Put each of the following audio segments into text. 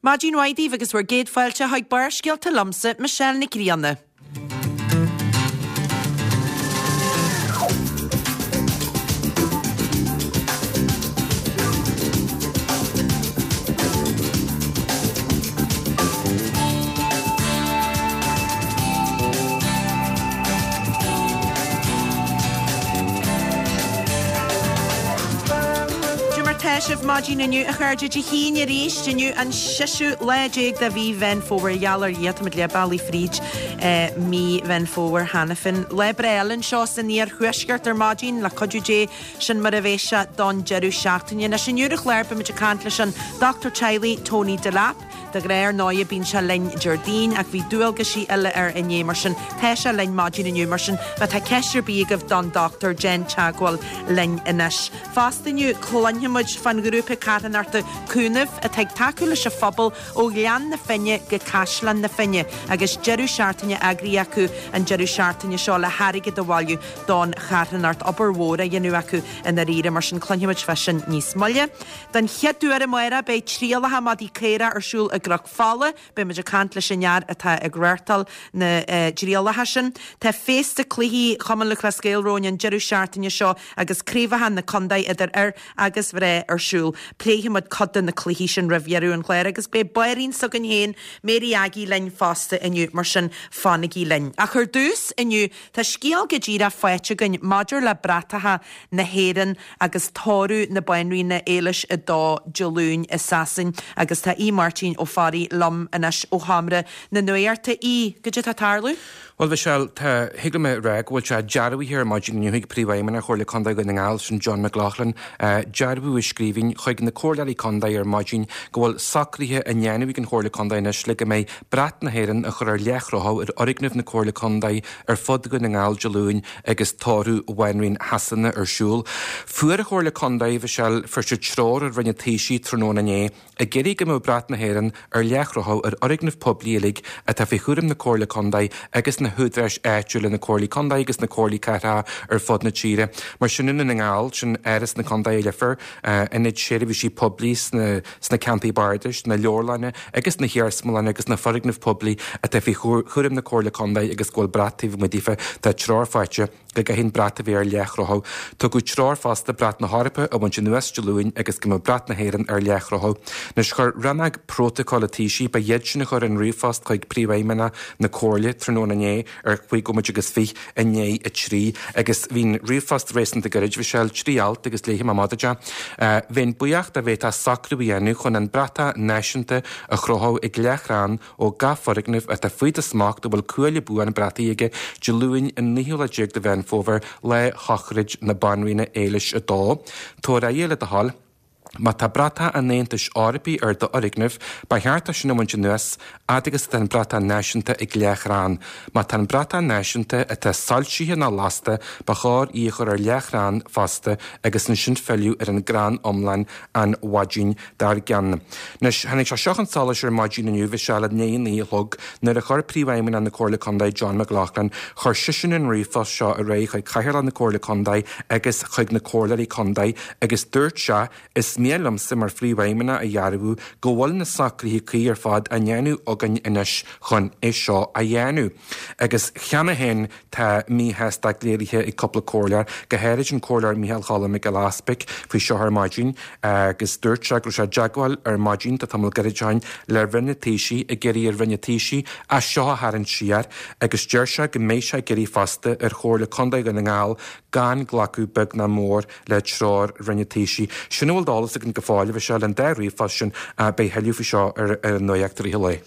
Maidin mhaith daoibh agus bhur gcéad fáilte chuig Barrscéalta liomsa, Michelle Nic Grianna. Cad é mar tá sibh maidin inniu, a chairde? Dé hAoine arís inniu, an seisiú lá déag de mhí Mheán Fómhair. Gheall ar Dhia, táimid leath bealaigh fríd mí Mheán Fómhair cheana féin. Lá breá eile anseo san iarthuaisceart ar maidin, le cuidiú Dé, sin mar a bheidh sé don deireadh seachtaine. Anois inniu ar an chlár beimid ag caint leis an dochtúir teaghlaigh Tony Delap. De ghnáth ar ndóighe bíonn sé linn Déardaoin ach bhí dualgaisí eile air inné mar sin tá sé linn maidin inniu mar sin má tá ceist ar bith agaibh don dochtúir déan teagmháil linn anois. Fosta inniu cluinfidh muid fán ghrúpa carthanachta Cúnamh atá ag tacú leis an phobal ó Ghleann na Finne go Caisleán na Finne agus deireadh seachtaine eagraithe acu an deireadh seachtaine seo le hairgead a bhailiú don charthanacht. Obair mhór á dhéanamh acu i ndáiríre mar sin cluinfidh muid fá sin níos moille. Den chéad uair amárach beidh trialacha madaí caorach ar siúl i gCnoc Fola. Beidh muid ag caint leis an fhear atá ag reáchtáil na dtrialacha sin. Tá féasta cluichí Chumann Lúthchleas Gael romhainn an deireadh seachtaine seo agus craobhacha na contae idir fhir agus mhná ar siúl. Pléifidh muid cuid de na cluichí sin roimh dheireadh an chláir agus beidh banríon s'againn féin, Mary Aggie linn fosta inniu mar sin fanaigí linn. Ach ar dtús inniu tá scéal go díreach faighte againn maidir le bratacha na hÉireann agus tórramh na Banríona Éilis a Dó Dé Luain i Sasain agus tá Aodh Máirtín Ó Fearraigh liom anois ó Sheomra na Nuachta. Aodh, goidé tá ag tarlú? Bhuel, Michelle, tá, thig liom a rá go bhfuil sé dearbhaithe ar maidin inniu ag Príomhfheidhmeannach Chomhairle Contae Dhún na nGall, sin John McLaughlin, dearbhú i scríbhinn chuig na Comhairleoirí Contae ar maidin go bhfuil socruithe á ndéanamh ag an Chomhairle Contae anois le go mbeidh brat na hÉireann á chur ar leathchrochadh ar fhoirgnimh na Comhairle Contae ar fud Dhún na nGall Dé Luain agus tórramh Bhanríon Shasana ar siúl. Fuair an Chomhairle Contae, Mhichelle, fuair siad treoir ó Roinn an Taoisigh tráthnóna inné ag iarraidh go mbeadh brat na hÉireann ar leathchrochadh ar fhoirgnimh poiblí uilig atá faoi chúram na Comhairle Contae agus na húdaráis áitiúla, na Comhairlí Contae agus na Comhairlí Cathrach ar fud na tíre. Mar sin i nDún na nGall, sin Áras na Contae i Leifear, ionaid seirbhísí poiblí sna sna ceantair bardais, na leabharlanna agus na hiarsmalanna agus na foirgnimh poiblí atá faoi chúram na Comhairle Contae agus go bhfuil brat taobh amuigh daofa. Tá treoir faighte go gcaithfidh an brat a bheith ar leathchrochadh. Tugadh treoir fosta brat na hEorpa a bhaint anuas Dé Luain agus go mbeadh brat na hÉireann ar leathchrochadh. Anois chuir Rannóg Prótacail an Taoisigh, ba iad sin a chuir an ríomhphost chuig Príomhfheidhmeannach na Comhairle tráthnóna inné, ar chúig nóiméad agus 20 i ndiaidh 3 agus bhí an ríomhphost réasúnta gairid, Mhichelle, 3 alt agus léifidh mé amach duit é. Bheinn buíoch dá bhféadfá socrú a dhéanamh chun an bratach náisiúnta a chrochadh ag leathchrann ó gach foirgneamh atá faoi do smacht a bhfuil cuaille buan brataí aige Dé Luain an naoú lá déag de Mheán Fómhair, lá shochraid na Banríona Éilis 2. Tabhair aire le do thoil. Má tá bratach an Aontais Eorpaigh ar d'fhoirgneamh, ba cheart é sin a bhaint anuas, fhad agus atá an bratach náisiúnta ag leathchrann. Má tá an bratach náisiúnta atá soilsithe nó lasta, ba chóir í a chur ar leathchrann fosta agus ansin filleadh ar an gcrann iomlán an mhaidin dár gcionn. Anois, tháinig sé seo chun solais ar maidin inniu, Mhichelle, i ndiaidh a 9 a chlog, nuair a chuir Príomhfheidhmeannach na Comhairle Contae, John McLaughlin, chuir seisean an ríomhphost seo ar aghaidh chuig Cathaoirleach na Comhairle Contae agus chuig na Comhairleoirí Contae agus dúirt sé, Is mian liomsa mar Phríomhfheidhmeannach a dhearbhú go bhfuil na socruithe cuí ar fad á ndéanamh againn anois chun é seo a dhéanamh. Agus cheana féin tá míshástacht léirithe ag cúpla comhairleoir, go háirid an Comhairleoir Micheál Choilm Mac Giolla Easpaig, faoi seo ar maidin agus dúirt sé go raibh sé i dteagmháil ar maidin, tá tamall gairid ó shin, le Roinn an Taoisigh ag iarraidh ar Roinn an Taoisigh é seo a tharraingt siar agus deir sé go mbeidh sé ag iarraidh fosta ar Chomhairle Contae Dhún na nGall gan glacadh beag ná mór le treoir Roinn an Taoisigh. Sin a bhfuil d'eolas againn go fóill, a Mhichelle, an dá ríomhphost sin, beidh thuilleadh faoi seo ar an nuacht i rith an lae.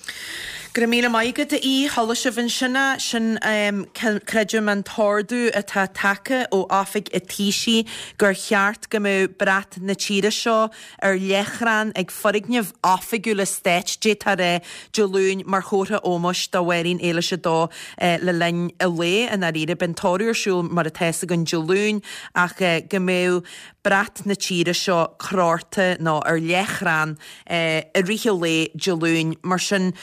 Go raibh míle maith agat, a Aoidh. Chuala sibh ansin é. Sin, creidim, an t-ordú atá tagtha ó Oifig an Taoisigh gur cheart go mbeadh brat na tíre seo ar leathchrann ag foirgnimh oifigiúla stáit, d'fhéadfá a rá, Dé Luain mar chomhartha ómóis do Bhanríon Éilis 2 le linn an lae. I ndáiríre, beidh an tórramh ar siúl mar atá fhios againn Dé Luain ach go mbeadh brat na tíre seo crochta nó ar leathchrann i rith an lae Dé Luain. Mar sin.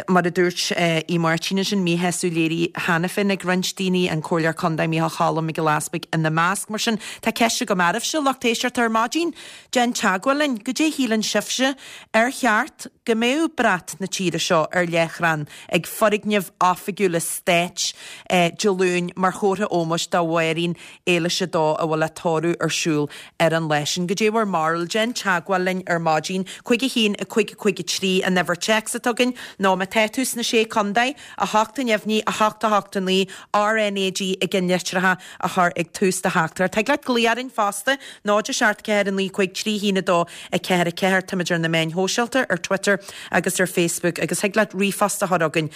Mar a dúirt Uí Máirtín ansin, míshásamh léirithe cheana féin ag roinnt daoine, an Comhairleoir Contae Micheál Cholm Mac Giolla Easpaig ina measc. Mar sin, tá ceist agam oraibhse, lucht éisteachta ar maidin. Déan teagmháil linn. Goidé a shíleann sibhse? Ar cheart go mbeadh brat na tíre seo ar leathchrann ag foirgnimh oifigiúla stáit Dé Luain mar chomhartha ómóis do Mháirín Éilis 2 a bhfuil a tórramh ar siúl ar an lá sin. Goidé bhur mbarúil? Déan teagmháil linn ar maidin. 5 1 5 5 3 an uimhir téacs atá againn, nó má tá tú sna Sé Contae, 8 neamhní, 8 8 9, RnaG i gceannlitreacha a chur ag tús do theachtaireacht. Thig leat glaoch orainn fosta, 0 7 4 9 5 3 1 2 4 4. Táimid ar na meáin shóisialta, ar Twitter agus ar Facebook, agus thig leat ríomhphost a chur chugainn.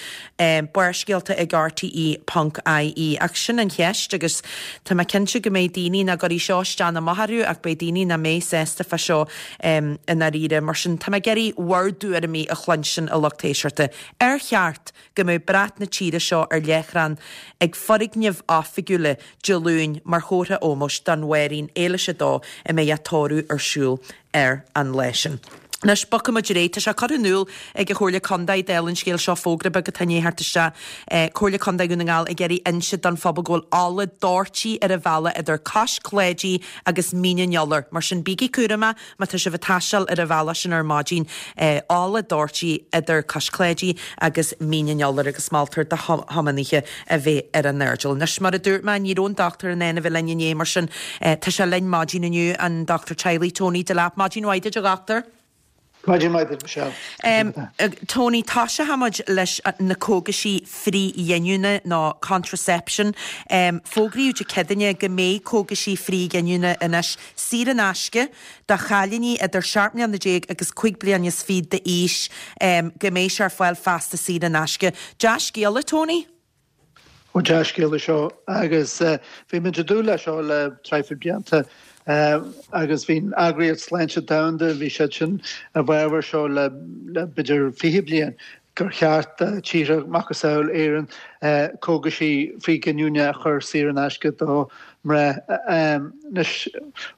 Barrscéalta ag RTÉ ponc IE. Ach sin an cheist agus tá mé cinnte go mbeidh daoine nach gcuirfidh seo isteach ná amach orthu ach beidh daoine nach mbeidh sásta fá seo i ndáiríre. Mar sin tá mé ag iarraidh bhur dtuairimí a chluinstin a lucht éisteachta. Ar cheart go mbeadh brat na tíre seo ar leathchrann ag foirgnimh oifigiúla Dé Luain mar chomhartha ómóis don Mháirín Éilis 2 a mbeidh a tórramh ar siúl ar an lá sin. Anois, bogfaidh muid ar aghaidh. Tá sé curtha in iúl ag an Chomhairle Contae, dála an scéil seo, fógra beag atá i ndiaidh theacht isteach, Comhairle Contae Dhún na nGall ag iarraidh inse don phobal go bhfuil ola dóirtí ar an bhealach idir Cois Cláidí agus Mín an Iolair. Mar sin, bígí cúramach má tá sibh ag taisteal ar an bhealach sin ar maidin. Ola dóirtí idir Cois Cláidí agus Mín an Iolair agus moltar do thiománaithe a bheith ar a n-airdeall. Anois, mar a dúirt mé, ní raibh an dochtúir in ann a bheith linn inné, mar sin tá sé linn maidin inniu, an dochtúir teaghlaigh Tony Delap. Maidin mhaith duit, a dhochtúir. Maidin mhaith duit, Michelle. Tony, toiseochaidh muid leis na cógaisí frithghiniúna nó contraception. Fógraíodh Dé Céadaoine go mbeidh cógaisí frithghiniúna anois saor in aisce do chailíní idir 17 mbliana agus 25 bliana d'aois, go mbeidh sé ar fáil feasta saor in aisce. Dea-scéala, Tony? Ó dea-scéala seo agus bhí muid ag dúil leis seo le traidhfil blianta agus bhí an Eagraíocht Sláinte Domhanda, bhí siad sin i bhfabhar seo le b'fhéidir 20 bliain gur cheart do tíortha macasamhail Éireann cógaisí frithghiniúna a chur saor in aisce do mhná. Anois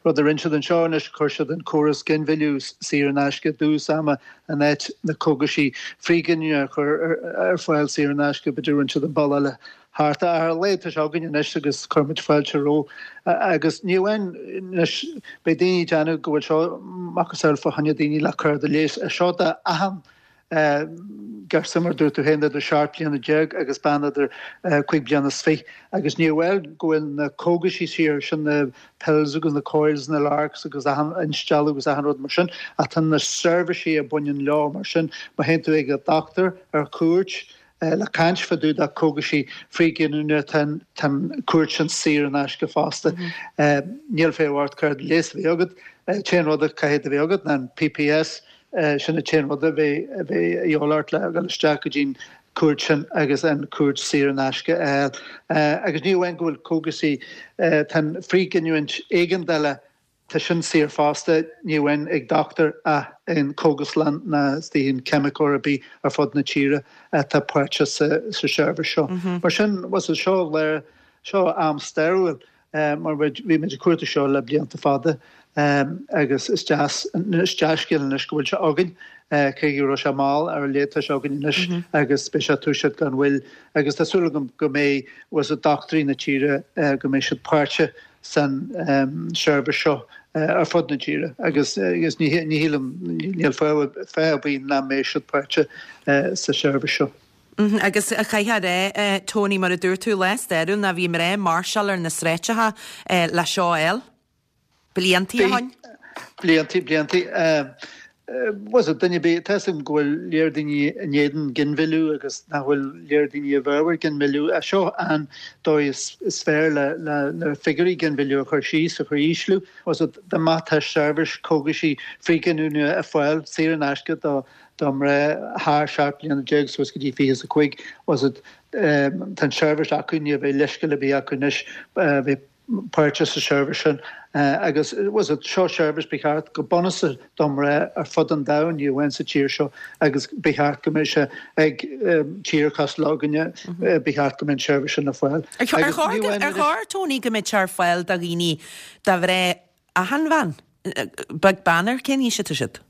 rud a rinne siad anseo anois chuir siad an córas ginmhilleadh saor in aisce i dtús ama in áit na cógaisí frithghiniúna a chur ar fáil saor in aisce, b'fhéidir rinne siad an bealach eile thart. Ach ar a laghad tá sé againn anois agus cuirfimid fáilte roimhe. Agus ní amháin anois, beidh daoine ag déanamh go bhfuil seo macasamhail fá choinne daoine le cárta leighis, é seo d'achan girseach mar dúirt tú féin idir 17 bliana agus bean idir 25 bliana agus ní amháin go bhfuil na cógaisí saor, sin na pills agus na coils, na larcs agus achan instealladh agus achan rud mar sin ach tá na seirbhísí a bhaineann leo mar sin má théann tú ag an dochtúir ar cuairt le caint fá dtaobh de cógaisí frithghiniúna tá an cuairt sin saor in aisce fosta. Níl feidhm ort cárta leighis a bheith agat, an t-aon rud a caithfidh a bheith agat ná an PPS, Sin an t-aon rud a bheidh a dhíobháil ort le dhul isteach go dtí'n cuairt sin agus an cuairt saor in aisce a fháil. Agus ní amháin go bhfuil cógaisí, tá an frithghiniúint éigeandála, tá sin saor fosta, ní amháin ag dochtúir ach in cógaslann ná istigh in ceimiceoir ar bith ar fud na tíre atá páirteach sa seirbhís seo. Mar sin, bhuel, seo lá, seo am stairiúil. mar bhí muid ag cuartú seo le blianta fada agus is deas, is dea-scéal anois go bhfuil sé againn, cé go raibh sé mall, ar a laghad tá sé againn anois agus beidh sé ag toiseacht gan mhoill agus tá súil agam go mbeidh bhfuil dochtúirí na tíre go mbeidh siad páirteach san seirbhís seo ar fud na tíre agus agus ní shílim, níl fáth ar bith nach mbeidh siad páirteach sa seirbhís seo. Agus caithfidh a rá, Tony, mar a dúirt tú, lá stairiúil ná bhí mná ag máirseáil ar na sráideacha le seo a fháil. Bliantaí ó shoin. Bliantaí, bliantaí. Bhuel, duine ar bith, tá 'fhios agam go bhfuil léir daoine in éadan ginmhilleadh agus nach bhfuil léir daoine i bhfabhar ginmhilleadh. Ach seo an dóigh is fearr le na figiúirí ginmhilleadh a chur síos, a chur ísliú. Bhuel, dá mbeadh tá seirbhís cógaisí frithghiniúna ar fáil saor in aisce do do mhná thar 17 bliana suas go dtí 25 bhuel tá an tseirbhís acu, ní bheidh leithscéal ar bith acu anois bheith páirteach sa tseirbhís sin agus bhuel seo seirbhís ba cheart go bunúsach do mhná ar fud an domhain, ní amháin sa tír seo agus ba cheart go mbeadh sé ag tír cosúil againne, ba cheart go mbeadh an tseirbhís sin ar fáil. Ar chóir, Tony, go mbeadh sé ar fáil do dhaoine, do mhná achan bhean, beag beann ar cén aois atá siad?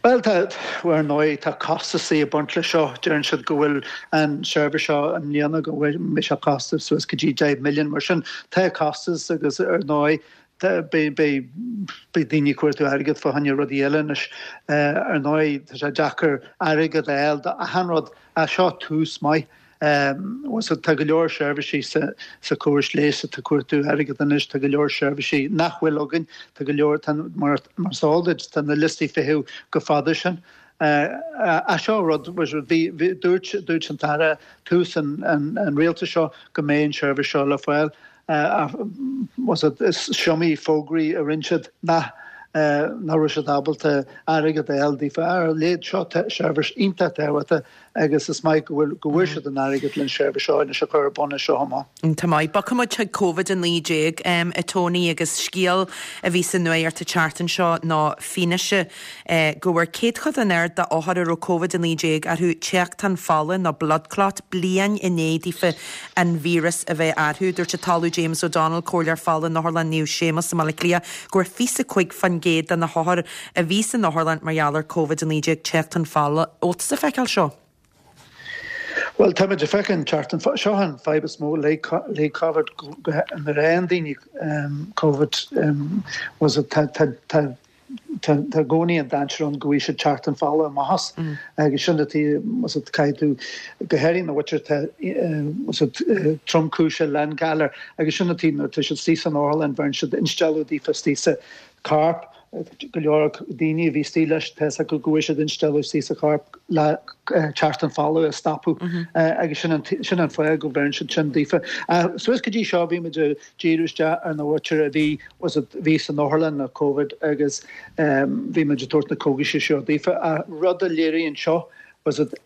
Bhuel, tá, ar ndóigh, tá costasaí ag baint leis seo. Deireann siad go bhfuil an seirbhís seo i mbliana go mbeidh sé costas suas go dtí 10 milliún. Mar sin, tá costas agus ar ndóigh, beidh daoine ag cuartú airgead fá choinne rudaí eile anois. Ar ndóigh, tá sé deacair airgead a fháil d'achan rud ach seo tús maith. So tá go leor seirbhísí sa chóras leighis atá ag cuartú airgead anois, tá go leor seirbhísí nach bhfuil againn, tá go leor, tá, mar is eol duit, tá na liostaí feithimh chomh fada sin. Ach seo rud, bhí, dúirt, dúirt an tAire tús an, an rialtais seo go mbeidh an tseirbhís seo le fáil. Is iomaí fógraí a rinne siad nach nach raibh siad ábalta airgead a fháil daofa. Ar a laghad seo seirbhís iontach tábhachtach agus is maith go bhfuil go bhfuair siad an airgead len seirbhís seo anois a chur ar bun as seo amach. Iontach maith. Bogfaidh muid chuig Covid-19, a Tony, agus scéal a bhí sa nuacht an tseachtain seo ná fianaise go bhfuair céadchodán ard d'othair a raibh Covid-19 orthu téachtán fola nó blood clot bliain i ndiaidh daofa an víreas a bheith orthu. Dúirt an tOllamh James O'Donnell, Comhairleoir Fola in Otharlann Naomh Séamus i mBaile Átha Cliath, go bhfuair 25% de na hothair a bhí san otharlann mar gheall ar Covid-19 téachtán fola. Bhfuil tusa ag feiceáil seo? Bhuel, táimid ag feiceáil an téachtán fola. Seo an fadhb is mó le Covid, nuair a fhaigheann daoine Covid, was it, tá, tá, tá, tá i gcónaí an dainséar ann go bhfaighidh siad téachtán fola amach as agus sin an tuige, was it, caithfidh tú, go háirithe na mhuintir atá, was it, tromchúiseach le an galar agus sin an tuige nuair atá siad istigh san otharlann bheireann siad instealladh daofa istigh sa chorp, go leor daoine a bhí istigh leis, tá fhios acu go bhfuair siad instealladh istigh sa chorp le teachtán fola a stopadh agus sin an sin an fáth go bheireann siad sin daofa. Suas go dtí seo bhí muid ag díriú isteach ar na mhuintir a bhí was it bhí san otharlann le Covid agus bhí muid ag tabhairt na cógaisí seo daofa. Ach rud a léiríonn seo was it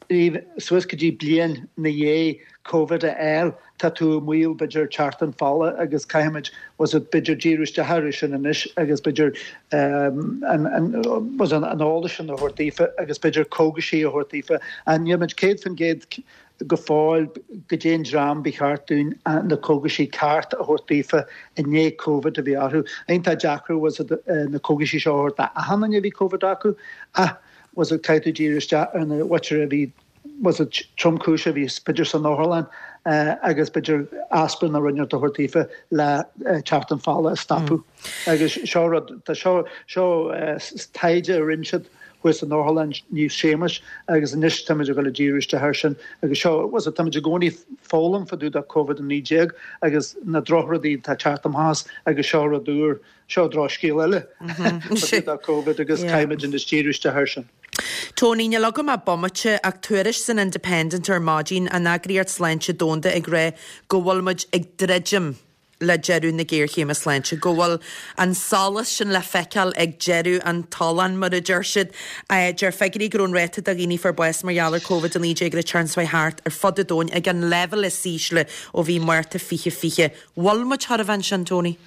suas go dtí bliain ina dhiaidh Covid a fháil, tá tú i mbaol b'fhéidir teachtán fola agus caithfimid was it b'fhéidir díriú isteach orthu sin anois agus b'fhéidir an an was an an eolas sin a thabhairt daofa agus b'fhéidir cógaisí a thabhairt daofa. Níl muid 100% go fóill goidé an dream ba cheart dúinn na cógaisí ceart a thabhairt daofa i ndiaidh Covid a bhí orthu. Iontach deacair was it na cógaisí seo a thabhairt d'achan duine a bhí Covid acu ach was it caithfidh tú díriú isteach ar na mhuintir a bhí was it tromchúiseach a bhí b'fhéidir san otharlann agus b'fhéidir aspirin nó rud inteacht a thabhairt daofa le teachtán fola a stopadh. Agus seo rud, tá seo, seo taighde a rinne siad thuas in Otharlann Naomh Séamus agus anois táimid ag dul ag díriú isteach air sin agus seo, was it, táimid i gcónaí ag foghlaim fá dtaobh de Covid-19 agus na drochrudaí atá ag teacht amach as agus seo rud úr Seo drochscéal eile fá dtaobh de Covid agus caithfimid anois díriú isteach air sin. Tony, Níl agam ach bomaite, ach tuairisc san Independent ar maidin, an Eagraíocht Sláinte Domhanda ag rá go bhfuil muid ag druidim le deireadh na géarchéime sláinte, go bhfuil an solas sin le feiceáil ag deireadh an tolláin, mar a deir siad. Deir figiúirí go raibh an ráta de dhaoine a fuair bás mar gheall ar Covid-19 an tseachtain seo thart ar fud an domhain ag an leibhéal is ísle ó bhí Márta 2020. Bhfuil muid chóir a bheith ansin, Tony?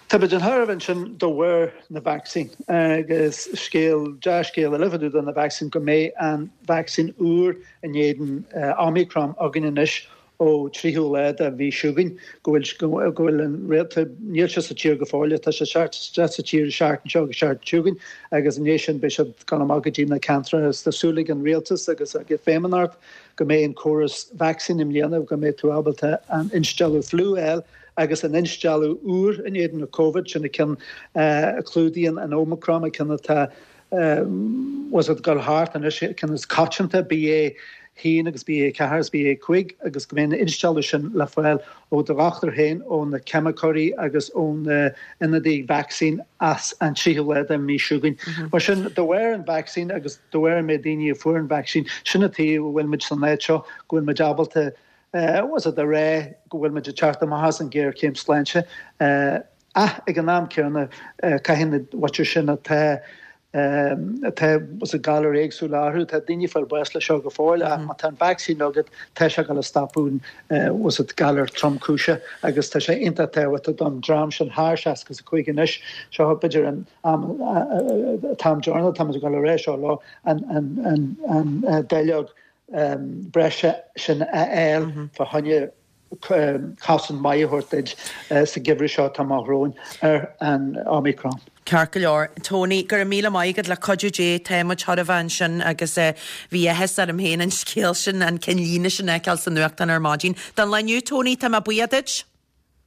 Tá muid chóir a bheith ansin de bharr na vacsaín agus scéal, dea-scéal eile fá dtaobh de na vacsaín go mbeidh an vacsaín úr in éadan Omicron againn anois ó 3ú lá de mhí seo chugainn, go bhfuil, go bhfuil an réalta, níl sé sa tír go fóill, tá sé ag teacht isteach sa tír an seachtain seo agus seachtain seo chugainn agus i ndiaidh sin beidh siad ag dul amach go dtí na ceantracha agus tá súil ag an rialtas agus ag an Feidhmeannacht go mbeidh an córas vacsaín i mbliana, go mbeidh tú ábalta an instealladh fliú a fháil Agus an instealladh úr in éadan na Covid, sin an ceann a chlúdaíonn an Omicron, an ceann atá was it ag dul thart anois, an ceann is coitianta, BA1 agus BA4 agus BA5, agus go mbeidh an instealladh sin le fáil ó do dhochtúir féin, ó na ceimiceoirí agus ó na ionadaithe vacsaín as an tríú lá den mhí seo chugainn. Mar sin, de bharr an vacsaín agus de bharr an méid daoine a fuair an vacsaín, sin an tuige go bhfuil muid san áit seo, go bhfuil muid ábalta Was it a rá go bhfuil muid ag teacht amach as an ghéarchéim sláinte ach ag an am céanna caithfidh na mhuintir sin atá atá was it galair éagsúla orthu, tá daoine ag fáil bás le seo go fóill ach má tá an vacsaín agat tá sé ag dul a stopadh an was it galar tromchúiseach agus tá sé iontach tábhachtach don dream sin thar 65 anois seo b'fhéidir an am t-am deireanach táimid ag dul a rá seo leo an an an an dáileog breise sin a fháil fá choinne cosaint maith a thabhairt duit sa gheimhreadh seo atá amach romhainn ar an Omicron. Ceart go leor, Tony, go raibh míle maith agat, le cuidiú Dé tá muid chóir a bheith ansin agus bhí áthas orm féin an scéal sin, an ceannlíne sin a fheiceáil sa nuachtán ar maidin. Don lá inniu, Tony, tá mé buíoch duit.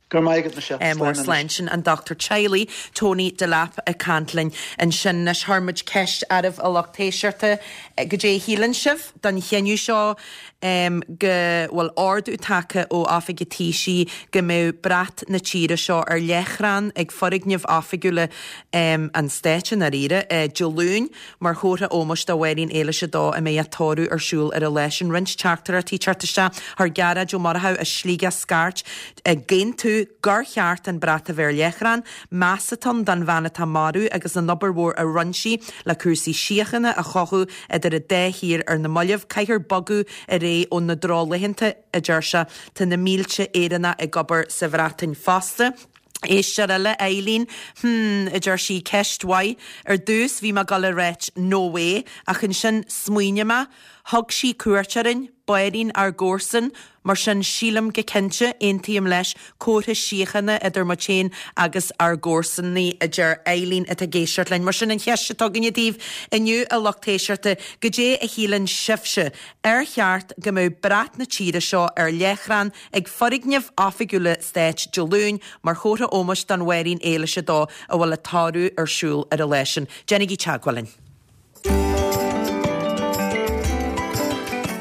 Go raibh maith agat, Michelle. Mór Slán anois. Slán. Sin an dochtúir teaghlaigh, Tony Delap ag caint linn ansin. Anois chuir muid ceist oraibh a lucht éisteachta, goidé a shíleann sibh don chinneadh seo go bhfuil ordú tagtha ó Oifig an Taoisigh go mbeadh brat na tíre seo ar leathchrann ag foirgnimh oifigiúla an stáit i ndáiríre, Dé Luain mar chomhartha ómóis do Mháirín Éilis 2 a mbeidh a tórramh ar siúl ar an lá sin. Roinnt teachtaireachtaí ag teacht isteach. Chuir Gearóid Ó Murchú as Sligeach scairt ag aontú gur cheart an brat a bheith ar leathchrann. Meas atá ann don bhean atá marbh agus an obair mhór a rinne sí le cúrsaí síochána a chothú idir an dá thír ar na mallaibh. Caithfear bogadh ar aghaidh ó na drochlaethanta, a deir sé. Tá na mílte Éireannach ag obair sa Bhreatain fosta. Éisteoir eile, Eileen, Hmm, a deir sí, ceist mhaith. Ar dtús bhí mé ag dul a ráit 'no way' ach ansin smaoinigh mé, thug sí cuairt orainn, B'fheairín ár gcomharsan, mar sin sílim go cinnte, aontaím leis, comhartha síochána idir muid féin agus ár gcomharsanaí, a deir Eileen atá ag éisteacht linn. Mar sin an cheist atá againne daoibh inniu, a lucht éisteachta, goidé a shíleann sibhse? Ar cheart go mbeadh brat na tíre seo ar leathchrann ag foirgnimh oifigiúla stáit Dé Luain mar chomhartha ómóis don Mháirín Éilis 2 a bhfuil a tórramh ar siúl ar an lá sin? Déanaigí teagmháil linn.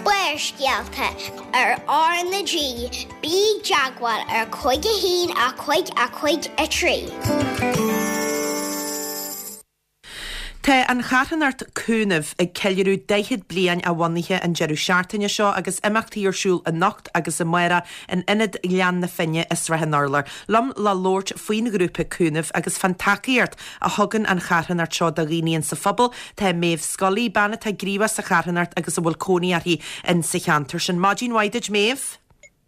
Barrscéalta ar R na G, bí i dteagmháil ar 5 1 5 5 3. Tá an charthanacht Cúnamh ag ceiliúradh 40 bliain a bhunaithe an deireadh seachtaine seo agus imeachtaí ar siúl anocht agus amárach in Ionad Ghleann na Finne i Srath an Urláir. Liom le labhairt faoin ghrúpa Cúnamh agus fán tacaíocht a thugann an charthanacht seo do dhaoine insa phobal tá Méabh Scully, bean atá gníomhach sa charthanacht agus a bhfuil cónaí uirthi insa cheantar sin. Maidin mhaith duit Méabh.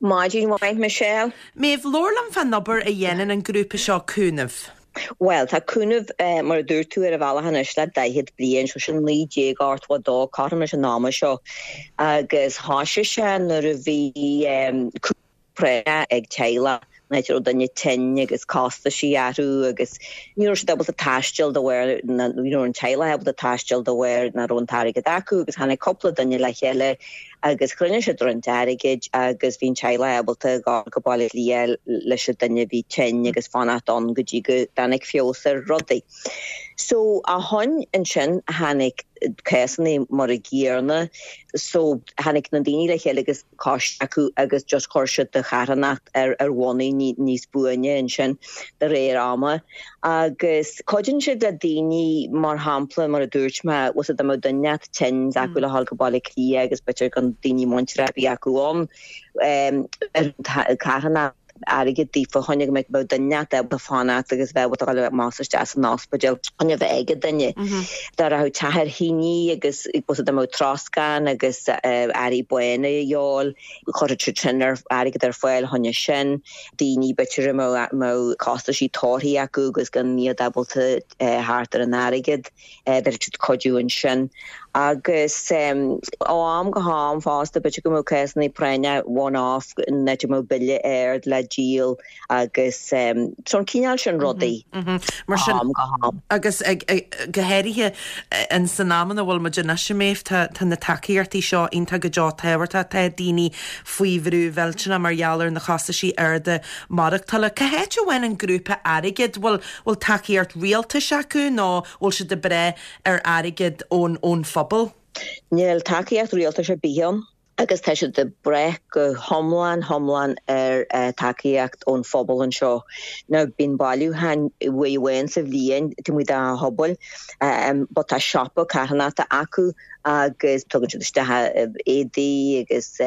Maidin mhaith Michelle. Méabh, labhair liom fán obair a dhéanann an grúpa seo Cúnamh. Bhuel, tá Cúnamh, mar a dúirt tú, ar an bhealach anois le 40 bliain, so sin 1982, cothrom leis an ama seo, agus thoisigh sé nuair a bhí cúnamh práinneach ag teaghlach, an áit a raibh duine tinn agus costaisí orthu agus ní raibh siad ábalta taisteal de bharr, ní raibh an teaghlach ábalta taisteal de bharr nach raibh an t-airgead acu agus tháinig cúpla duine le chéile agus chruinnigh siad roinnt airgid agus bhí an teaghlach ábalta dhul go Baile Átha Cliath leis an duine a bhí tinn agus fanacht ann go dtí go dtáinig feabhas ar rudaí. So ó shoin ansin tháinig cásanna mar an gcéanna so tháinig na daoine le chéile agus coiste acu agus just chuir siad an charthanacht ar ar bhonnaí níos buaine ansin de réir ama. Agus cuidíonn siad le daoine, mar shampla, mar a dúirt mé, bhfuil 's a'd dá mbeadh duine inteacht tinn acu le dhul go Baile Átha Cliath agus b'fhéidir gan daoine muinteartha ar bith acu ann, ar an charthanacht airgead daofa chun go mbeadh duine inteacht ábalta fanacht agus bheith ábalta dhul amach is isteach san ospidéal chun a bheith ag an duine. Dá rachadh teach ar thine agus bhfuil 's a'd dá mbeadh troscán agus earraí bána a dhíobháil, chuirfeadh siad sin ar airgead ar fáil choinne sin. Daoine b'fhéidir a mbeadh costaisí tórraimh acu agus gan iad ábalta theacht ar an airgead, bheadh siad cuidiú ansin. Agus ó am go ham fosta, b'fhéidir go mbeadh cásanna práinne one-off, an áit a mbeadh bille ard le díol agus so an cineál sin rudaí ó am go ham. Agus go háirithe in san am ina bhfuil muid anois, a Méabh, tá na tacaíochtaí seo iontach go deo tábhachtach. Tá daoine faoi bhrú mhillteanach mar gheall ar na costaisí arda maireachtála. Cá háit a bhfaigheann an grúpa airgead? Bhfuil bhfuil tacaíocht rialtais acu nó bhfuil siad ag brath ar airgead ón ón phobal? Níl tacaíocht rialtais ar bith ann agus tá siad ag brath go hiomlán hiomlán ar tacaíocht ón phobal anseo. Now bíonn bailiúchán uair amháin sa bhliain taobh amuigh de phobail but tá siopa carthanachta acu agus tugann siad isteach éadaí agus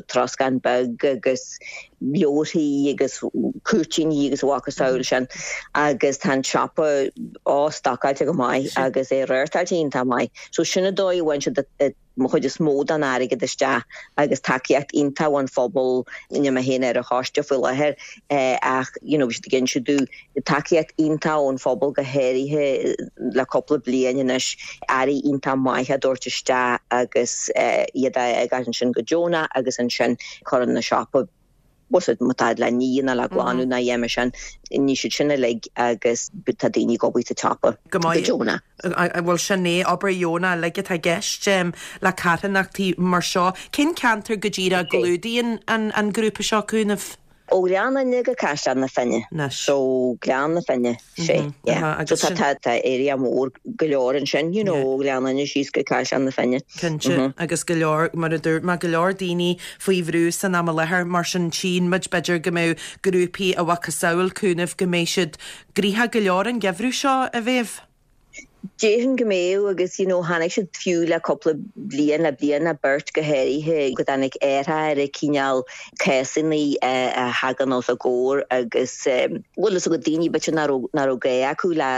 troscán beag agus leabharthaí agus cúirtíní agus a mhacasamhail sin agus tá an siopa á stocáilte go maith agus é reáchtáilte iontach maith. So sin an dóigh a bhfaigheann siad an chuid is mó den airgead isteach agus tacaíocht iontach ón phobal, níl mé féin ar an choiste faoi láthair ach you know bhí siad ag inse domh Tacaíocht iontach ón phobal go háirithe le cúpla bliain anois, earraí iontach maith á dtabhairt isteach agus iad á fhágáil ansin go deonach agus ansin cuireann an siopa. Bhfuil a fhios agat má tá le ní ná le glanadh ná a dhath mar sin, ní siad sin uilig agus tá daoine ag obair sa tsiopa Go go deonach. Bhuel sin é, obair dheonach uilig atá i gceist le carthanachtaí mar seo. Cén ceantar go díreach a gclúdaíonn an grúpa seo Cúnamh? Ó Ghleann Fhinne go Caisleán na Finne. So Gleann na Finne, sé, yeah. So tá tá tá area mór go leor ansin, you know, ó Ghleann Fhinne síos go Caisleán na Finne. Cinnte, agus go leor, mar a dúirt mé, go leor daoine faoi bhrú san am i láthair, mar sin tchíonn muid b'fhéidir go mbeadh grúpaí a mhacasamhail Cúnamh go mbeidh siad gnoitheach go leor an geimhreadh seo, a Mhéabh. Déarfainn go mbeadh agus you know chonaic siad fiú le cúpla bliain, le bliain nó beirt go háirithe, go dtáinig athrú ar an cineál cásanna a thagann os a gcomhair agus bhfuil fhios agat daoine b'fhéidir nach raibh, nach raibh gá acu le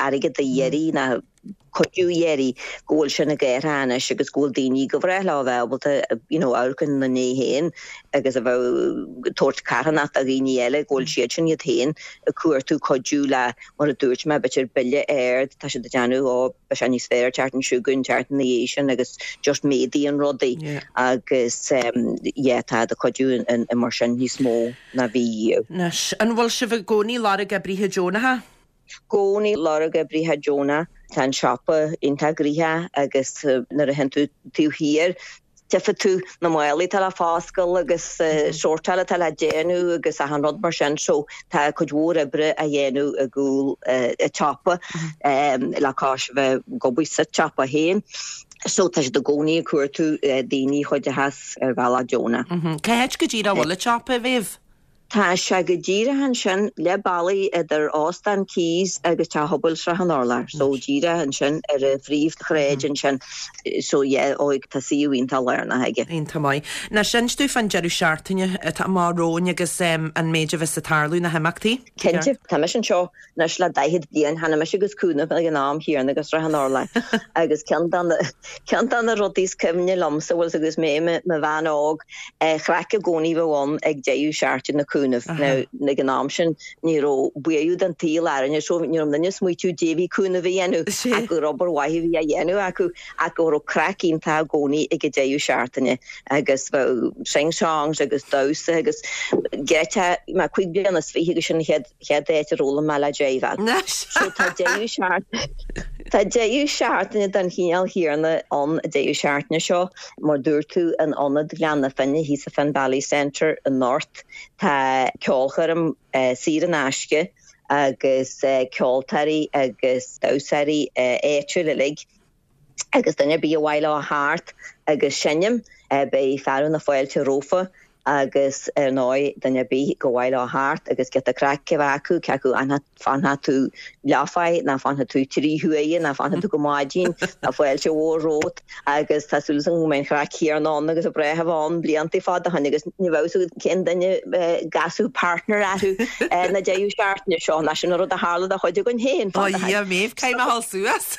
airgead a iarraidh ná cuidiú a iarraidh, go bhfuil sin ag athrú anois agus go bhfuil daoine go bhreá leo a bheith ábalta you know amharc ina ndiaidh féin agus a bheith ag tabhairt carthanacht do dhaoine eile, go bhfuil siad sin iad féin ag cuartú cuidiú le Mar a dúirt mé, b'fhéidir bille ard, tá siad ag déanamh, ó, beidh sé níos fearr an tseachtain seo chugainn, an tseachtain ina dhiaidh sin agus just méadaíonn rudaí agus yeah, tá ag cuidiú in mar sin níos mó ná bhí riamh. Anois, an bhfuil sibh i gcónaí lorg oibrithe deonacha? Gcónaí lorg oibrithe deonacha. Tá an siopa iontach gnoitheach agus nuair a théann tú taobh thiar, Tchífidh tú na málaí atá le foscailt agus sórtáil atá le déanamh agus achan rud mar sin so tá cuid mhór oibre á dhéanamh i gcúl an tsiopa le cois bheith ag obair sa tsiopa féin. So tá siad i gcónaí ag cuartú daoine a chuideochas ar bhealach deonach. Cá háit go díreach a bhfuil an tsiopa, a Mhéabh? Tá sé go díreach ansin, leath bealaigh idir Óstán Keys agus Teach Pobail Srath an Urláir. So díreach ansin ar an phríomhshráid ansin. So yeah, ó tá suíomh iontach lárnach aige. Iontach maith. Anois, inis dúinn fán deireadh seachtaine atá amach romhainn agus an méid a bheas ag tarlú, na himeachtaí. Cinnte. Tá mise anseo Anois le 40 bliain, tháinig mise agus Cúnamh ag an am chéanna go Srath an Urláir agus ceann de na, ceann de na rudaí is cuimhne liomsa, bhfuil 's agat agus mé i mo bhean óg, chraic i gcónaí bheadh ann ag deireadh seachtaine na Cúnamh. Now, ag an am sin ní raibh buaidh den tsaol orainne so ní raibh duine ag smaoitiú dé bhí Cúnamh a dhéanamh ach gur obair mhaith a bhí á dhéanamh acu ach go raibh craic iontach i gcónaí ag an deireadh seachtaine agus bheadh sing songs agus damhsa agus geit mé 25 bliana agus sin an chéad chéad áit a raibh mé le driveáil. So tá deireadh seachtaine Tá deireadh seachtaine den chineál chéanna ann an deireadh seachtaine seo. Mar dúirt tú, in Ionad Ghleann na Finne thíos sa Finn Valley Centre i nGort, tá ceolchoirm saor in aisce agus ceoltóirí agus damhsóirí áitiúil uilig. Agus duine ar bith ar mhaith leo a theacht agus seinm, beidh fearadh na fáilte rompu agus ar ndóigh duine ar bith gur mhaith leo a theacht agus giota craic a bheith acu, cé acu an fanfaidh tú leathuair ná fanfaidh tú 3 huaire ná fanfaidh tú go maidin, tá fáilte mhór romhat agus tá súil agam go mbeidh an chraic chéanna ann agus a bhreá a bheith ann blianta fada ó shin agus ní bheadh fhios agat cén duine a gcasfadh partner orthu na deireadh seachtaine seo, ná sin an rud a tharla do chuid againn féin fada ó shin. Ó a Dhia, Méabh, caithfidh mé a dhul suas.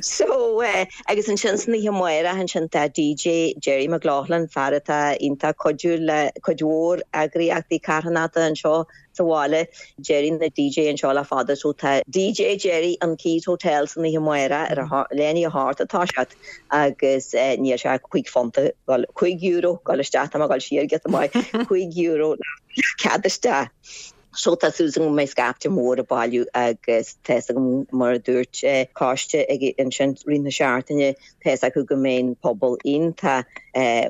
So, eh, agus ansin san oíche amárach ansin tá DJ Jerry McLaughlin, fear atá iontach cuidiúil le cuid mhór eagraíochtaí carthanachta anseo sa bhaile. Jerry ina DJ anseo le fada so tá DJ Jerry in Keys Hotel san oíche amárach ar a leath i ndiaidh a hocht ag toiseacht agus eh, níl sé ach 5 phunt, bhuel, 5 euro dul isteach, tá mé ag dul siar giota maith, 5 euro le cead isteach. So tá súil agam go mbeidh scaifte mór ag bailiú agus tá fhios agam mar a dúirt coiste ag ansin rith na seachtaine tá fhios acu go mbeidh an pobal iontach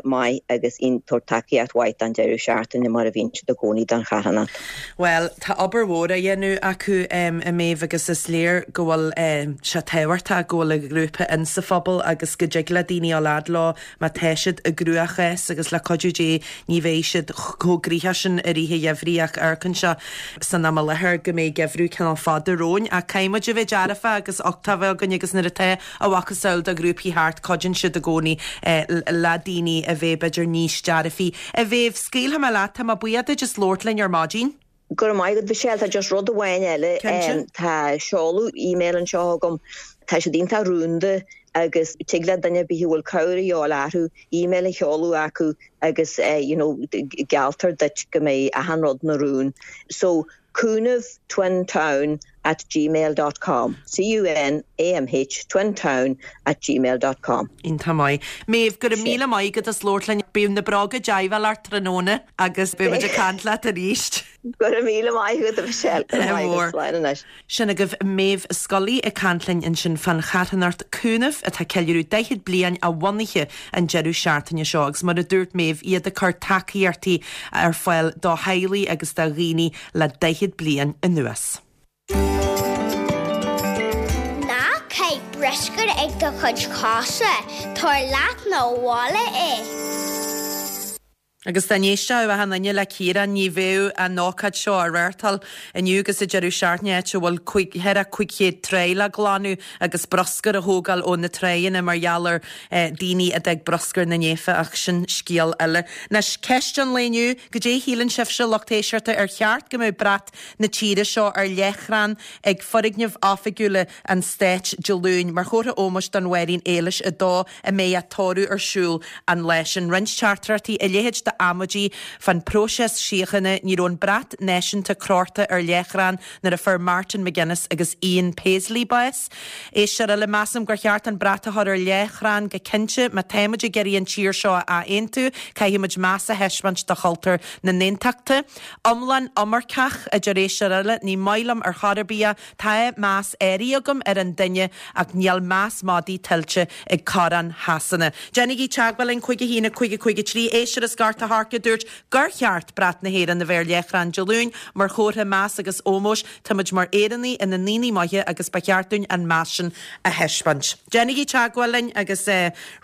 maith agus ag tabhairt tacaíocht mhaith don deireadh seachtaine mar a bhíonn siad i gcónaí don charthanacht. Bhuel, tá obair mhór á dhéanamh acu a Mhéabh agus is léir go bhfuil sé tábhachtach go bhfuil an grúpa in sa phobal agus go dtig le daoine a dhul fhad leo Má tá siad i gcruachás agus le cuidiú Dé ní bheidh siad chomh gnoitheach sin i rith an gheimhridh ach amharcann sé san am i láthair go mbeidh geimhreadh cineál fada romhainn. Ach caithfidh muid a bheith dearfach agus uchtach a bheith againn agus nuair atá a mhacasamhail de ghrúpaí thart cuidíonn siad i gcónaí le daoine a bheith b'fhéidir níos dearfaí. A Mhéabh, scaoilfidh mé leat, tá mé buíoch duit as labhairt linn ar maidin. Go raibh maith agat, Michelle. Tá just rud amháin eile. Cinnte. Tá seoladh email anseo agam. Tá siad iontach rúnda agus tig le duine ar bith a bhfuil cabhair a dhíobháil orthu email a sheoladh acu agus you know gealltar duit go mbeidh achan rud ina rún. So, cúnamh twin town. at gmail dot com, C-U-N-A-M-H twintown at gmail dot com. Iontach maith. Méabh, go raibh míle maith agat as labhairt linn. Bíodh na bróga deighbheáil ort tráthnóna agus beidh muid ag caint leat arís. Go raibh míle maith agat, a Mhichelle. Go raibh maith agat. Slán anois. Sin agaibh Méabh Scully ag caint linn ansin fán charthanacht Cúnamh atá ag ceiliúradh 40 bliain a bhunaithe an deireadh seachtaine seo agus mar a dúirt Méabh, iad ag cur tacaíochtaí ar fáil do theaghlaigh agus do dhaoine le 40 bliain anuas. Ná caith bruscar ag do chuid cosa, tabhair leat 'na bhaile é. Agus dá n-éistfeadh achan duine le Ciarán ní bheadh an ócáid seo á reáchtáil inniu agus an deireadh seachtaine áit a bhfuil thar 500 tráigh le glanadh agus bruscar a thógáil ó na tráigheanna mar gheall ar daoine a d'fhág bruscar na naofa ach sin scéal eile. Anois, ceist an lae inniu, goidé a shíleann sibhse, lucht éisteachta, ar cheart go mbeadh brat na tíre seo ar leathchrann ag foirgnimh oifigiúla an stáit Dé Luain mar chomhartha ómóis don Mháirín Éilis 2 a mbeidh a tórramh ar siúl an lá sin. Roinnt teachtaireachtaí, a leithéid d'amaidí fán próiseas síochána, ní raibh an brat náisiúnta crochta ar leathchrann nuair a fuair Martin McGuinness agus Ian Paisley bás. Éisteoir eile, measaim gur cheart an brat a chur ar leathchrann go cinnte. Má táimid ag iarraidh an tír seo a athaontú, caithfimid meas a thaispeáint do chultúr na n-aontachtaithe. Iomlán iomarcach, a deir éisteoir eile, ní maith liom ar chor ar bith é. Tá meas áirithe agam ar an duine ach níl meas madaidh tuillte ag Coróin Shasana. Déanaigí teagmháil linn 5 1 5 5 3 Éisteoir as Gort a' Choirce a dúirt gur cheart brat na hÉireann a bheith ar leathchrann Dé Luain mar chomhartha meas agus ómóis. Táimid mar Éireannaigh ina ndaoine maithe agus ba cheart dúinn an meas sin a thaispeáint. Déanaigí teagmháil linn agus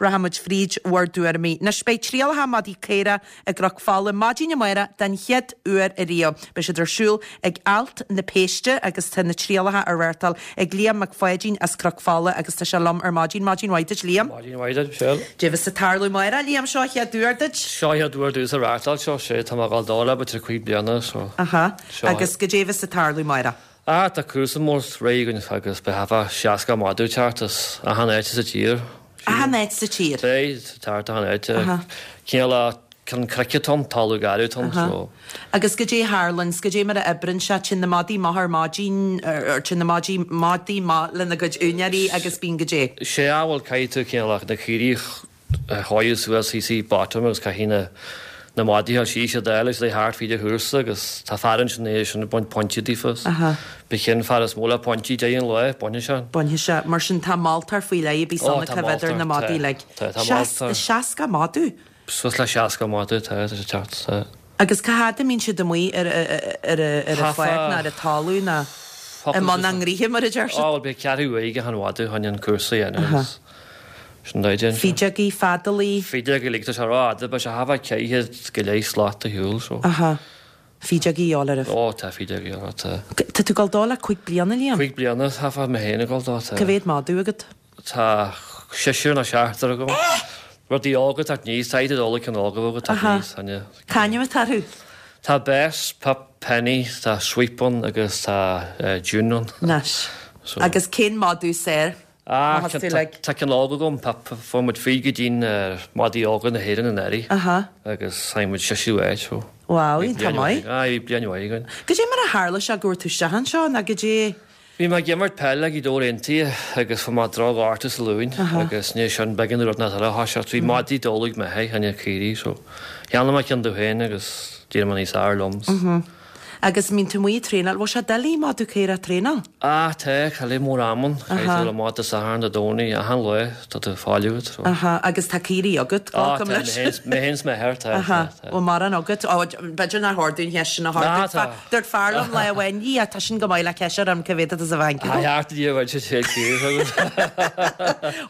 rachaimid fríd bhur dtuairimí. Anois beidh trialacha madaí caora i gCnoc Fola maidin amárach den chéad uair ariamh. Beidh siad ar siúl ag Alt na Péiste agus tá na trialacha á reáchtáil ag Liam Mac Pháidín as Cnoc Fola agus tá sé liom ar maidin. Maidin mhaith duit Liam. Maidin mhaith duit Michelle. Goidé bheas ag tarlú amárach Liam, seo an chéad uair duit? Seo an chéad uair domhsa reáchtáil seo, sé tá mé ag dul dó le b'fhéidir 5 bliana so. Aha. Agus goidé bheas ag tarlú amárach? Ah, tá cúrsa mór réidh againn agus beidh thart fá 60 madadh ag teacht as achan áit sa tír. Achan áit sa tír? Beidh, teacht achan áit. Cineál ceann cnoic atá ann, talamh garbh atá ann, so. Agus goidé a tharlaíonns, goidé mar a oibreann sé, téann na madaí amach ar maidin, or téann na maidí, madaí amach lena gcuid úinéirí agus bíonn goidé? Sea, bhuel caithfidh tú cineál na caoirigh a shádh suas thíos i bottom agus caithfidh na na madaí a síos a dháil agus iad thart fríd an chúrsa agus tá fear ansin é sin ag baint pointí daofa is b'é cén fear is mó le pointí deireadh an lae, bainfidh sé. Bainfidh sé. Mar sin tá moltóir faoi leith a bíos Ó ann tá ag coimhéad ar moltóir, na tá, madaí uilig. tá, tá moltóir. 60 madadh? Suas le 60 madadh, tá, tá sé ag teacht, tá. Agus cá fhad a mbíonn siad amuigh ar ar an pháirc ná ar an talamh ná i mbun a ngnoithe mar a deir siad? Ó bhuel beidh ceathrú uair ag achan mhadadh chun an cúrsa a dhéanamh agus sin dóigh déanta. Fídeogaí, feadalaí. Fídeogaí uilig, tá sé rófhada, beidh sé thart fá 400 go leith slat ar shiúl so. Aha. Fídeogaí a dhíobháil oraibh. Ó tá fídeogaí a dhíobháil, tá. Tá tú ag dul dó le 5 bliana, Liam? 5 bliana, tá fá mé féin ag dul dó, tá. Cá mhéad madadh agat? Tá seisear nó seachtar agam. Rudaí óga ag teacht aníos, tá iad ag ceann óga óga ag teacht aníos. Cá ainm atá orthu? Tá Bess, Pip, Penny, tá Sweep ann agus tá June ann. Nice. Agus cén madadh is fearr? Ah, tá ceann óg agam, Pip. Fuair muid fríd go dtí'n madaí óga na hÉireann anuraidh agus tháinig muid seisiú áit so. Wow, iontach maith. Aye, bhí bliain mhaith againn. Goidé mar a tharla sé go bhfuair tú isteach anseo nó goidé? Bhí mé ag imirt peile ag Gaoth Dobhair Aontaithe agus fuair mé droch-ghortú sa ghlúin agus i ndiaidh sin b'éigean domh rud inteacht eile a thoiseacht. Bhí madaí dall ag m'athair fá choinne caoirigh so cheannaigh mé ceann domh féin agus d'éirigh mé níos fhearr liom. Agus mbíonn tú amuigh ag traenáil, bhfuil sé doiligh madadh caorach a thraenáil? Ah tá, caithfidh mór am ann, caithfidh tú dul amach Dé Sathairn, Dé Domhnaigh, achan lá tá tú fáil agat so. Aha, agus tá caoirigh agat, Ah glacaim tá, leis. mé féin 's m'athair, tá, Aha, tá, tá. bhfuil mórán agat? Ó, b'fhéidir nár chóir domh an cheist sin a chur. Ná tá. Dúirt fear liom lá amháin, Dhia, tá sin go maith le ceist orm cá mhéad atá sa bhanc agam. Tá thart Dia bhain sé sé cíor agat.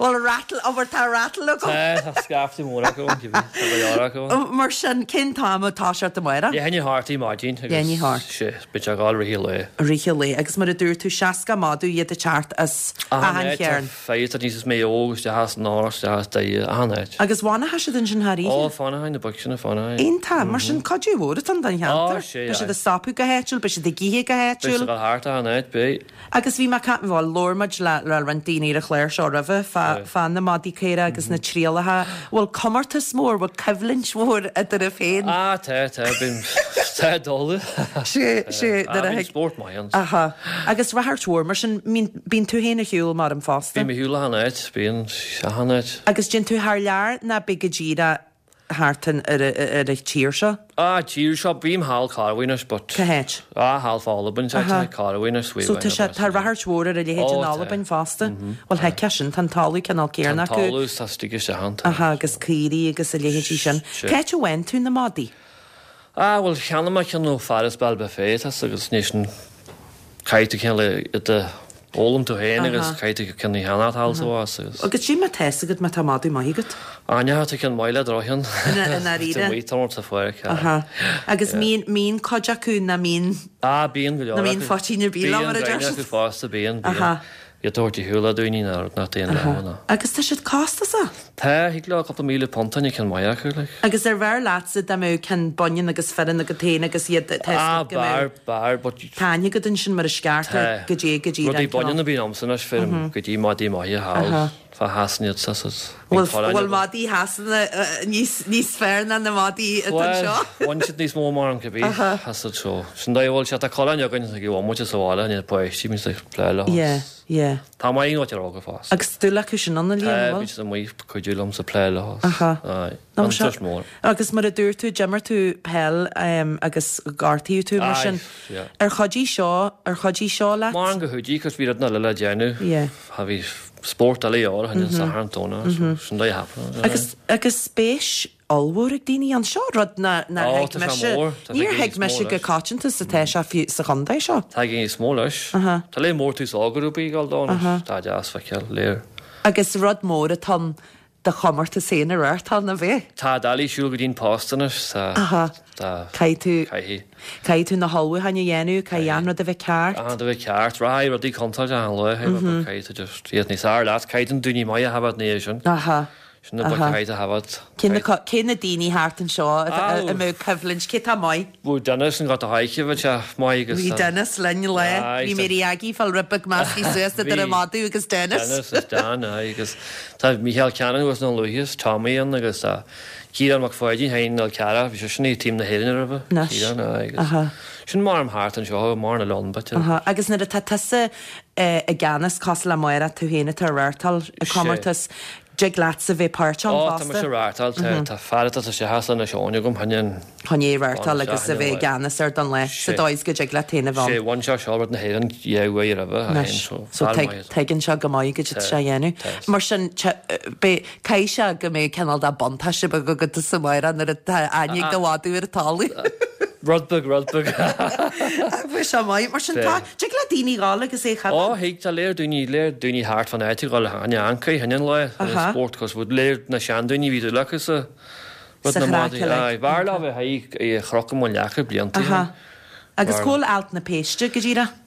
Bhfuil rattle, ó bhfuil tá rattle agam. Tá, tá scaifte mór acu, tá go leor acu. Mar sin, cén t-am atá sé amárach? Leath i ndiaidh a hocht ar maidin agus sé, beidh sé ag gabháil rith an lae. Rith an lae. Agus mar a dúirt tú, 60 madadh iad ag teacht as achan chearn. Achan áit, tá fir níos mé óg, isteach as an Áras, isteach as Doire, achan áit. Agus fanfaidh siad ansin thar oíche? Ó, fanfaidh na boic sin, fanfaidh. Iontach. Mar sin, cuidiú mhór atá ann don cheantar. Ó, sé, Beidh siad ag stopadh go háitiúil, beidh siad ag ithe go Beidh háitiúil. siad ag dul thart achan áit, beidh. Agus bhí mé ag caint, bhuel, labhair muid le le roinnt daoine ar an chlár seo roimhe fá fá na madaí caora agus na trialacha. Bhfuil comórtas mór, bhfuil coimhlint mhór eadraibh féin? Ah, tá, tá, bíonn. Tá dóladh. Sé, sé, nuair a thig. Spórt maith ann. Aha. Agus ráchairt mhór mar sin, bíonn tú féin ar shiúl mar an fosta? Bím ar shiúl achan áit, bíonn, achan áit. Agus déann tú thar lear ná bí go díreach thart ar an tír seo? Ah, tír seo, bím thall corruair anois but. Cá háit? Ah, thall fá Albain, tá Aha. corruair anois, So tá sé, tá ráchairt mhór ar a leithéid in Ó, tá. Albain fosta. Bhuel, thuigfeá sin, tá an talamh cineál céanna Tá an acu. talamh, tá istigh isteach ann, tá. Aha, agus caoirigh agus a leithéidí sin. Sea. Cá háit a bhfaigheann tú na madaí? Ah, bhuel, cheannaigh mé ceann ó fear as Ballybofey, tá 's agus anois an, caithfidh tú cineál iad a fhoghlaim tú féin agus caithfidh tú ceann a cheannacht thall sa bhás agus. Agus cad é mar tá 'fhios agat má tá madadh maith agat? Ah, ní, tá ceann maith le drochcheann. I ndáiríre? Tá maith tá sa pháirc. Aha. Agus mbíonn, mbíonn cuid acu nach mbíonn. Ah, bíonn go leor acu. Nach mbíonn faitín ar bith leo, mar a deir Bíonn siad. acu fosta, bíonn, bíonn. Aha. Iad a thabhairt ar shiúl le daoine nach nach dtéann leo ná. Agus tá siad costasach. Tá, thig leo cúpla £1,000 an ceann maith acu, like. Agus ar bhfearr leatsa dá mbeadh ceann baineann agus fireann agat féin agus iad tá 'fhios Ah, agat go mbeadh b'fhearr, b'fhearr, but. Tá aithne agat ansin mar is ceart ar Tá. goidé go díreach Rudaí an cineál. baineann a bhíonn a'msa anois, feirm go dtí madaí maithe thall fá Shasana iad sa sa. Bhfuil bhfuil madaí Shasana níos níos fearr ná na madaí atá Bhuel, anseo? bhain siad níos mó mar an cibé, as it so. Sin dóigh a bhfuil sé, tá coileáin againn ag an bhomaite sa bhaile, na páistí, bíonn siad ag plé leo. Yeah, yeah. Tá maith an áit ar fhágáil fós. Agus dúil acu sin ann, a Liam, Tá, an bhfuil? bíonn siad amuigh ag cuidiú liom sa plé leo. Aha. Aye. Nó An seo, tuis mór. agus mar a dúirt tú, d'imir tú peil agus gortaíodh tú mar Aye, sin. yeah. Ar chuidigh seo, ar chuidigh seo leat? Mar an go chuidigh, cos bhí rud eile le déanamh. Yeah. Tha bhí spórt eile ar an Satharn Domhnach, so sin dóigh a happening. Agus, agus spéis ollmhór ag daoine ann. Seo rud ná, nár Ó, thuig tá sé mise. mór. Tá sé Níor ag thuig níos mó mise go leis. coitianta is atá sé fiú sa chontae seo. Tá ag níos mó leis. Aha. Tá léir mór tús á grúpaí ag dul dó anois. Tá deas feiceáil, léir. Agus rud mór atá ann do chomórtas féin a reáchtáil, ná bheith? Tá doiligh siúl go dtí'n post anois, tá, Aha. tá, Caithfidh tú, caithfidh. caithfidh tú na hullmhúcháin a dhéanamh, caithfidh achan rud a bheith ceart. Achan rud a bheith ceart, rachaidh rudaí contráilte achan lá, mm caithfidh tú just iad níos fhearr leat, caithfidh an daoine maith a thabhairt ina dhiaidh sin. Aha. Sin na boic a chaithfidh a thabhairt. Cé na, cé na daoine thart anseo a mbeadh coimhlint, cé tá maith? Bhí Dennis an gota haigh bhí sé maith agus. Bhí Dennis linn lá. Bhí Mary Aggie fáil rud beag measctha suas idir an madadh agus Dennis. Dennis is Dan, aye, agus tá Mícheál Cannon agus na Luaithis, Tommy ann agus tá Ciarán Mac Pháidín féin Fhál Carrach, bhí seisean i team na hÉireann roimhe. Anois. Ciarán, aye, agus sin mar am thart anseo, mar na leon bit. Agus nuair atá tusa i gceannas cosúil le Máire, tú féin atá ag reáchtáil an comórtas, Dtig leatsa bheith páirteach ann Ó, tá fosta. mise ag reáchtáil, tá, tá fear atá sa seachas lena seoin agam, chun an. Chun é a reáchtáil agus a bheith i gceannas air don lá, sa dóigh is go dtig leat féin a bheith Sé, ann. bhain sé seo rud na hÉireann dhá uair roimhe, a Anois, fhéin, so so fear tuig, maith. tuigeann sé go maith goidé atá sé a dhéanamh. Tá. Mar sin, te, beidh, caithfidh sé go mbeidh cineál de buntáiste beag agat sa Máire nuair atá aithne ag do mhadadh ar an talamh. Rud beag, rud beag. Bheadh sé maith. Mar sin, tá, dtig le daoine dhul agus é a Ó, choimhéad. thig, tá léir daoine, léir daoine thart fán áit ag dhul cheana ancaí, cheana an lae, an spórt, cos bhí léir na seandaoine bhí dúil acu sa rud Sa na chraic madaí. uilig. Aye, b'fhearr leo bheith aghaidh i Chnoc i mBun Leaca blianta ó shin. Agus cá bhfuil Alt na Péiste go díreach?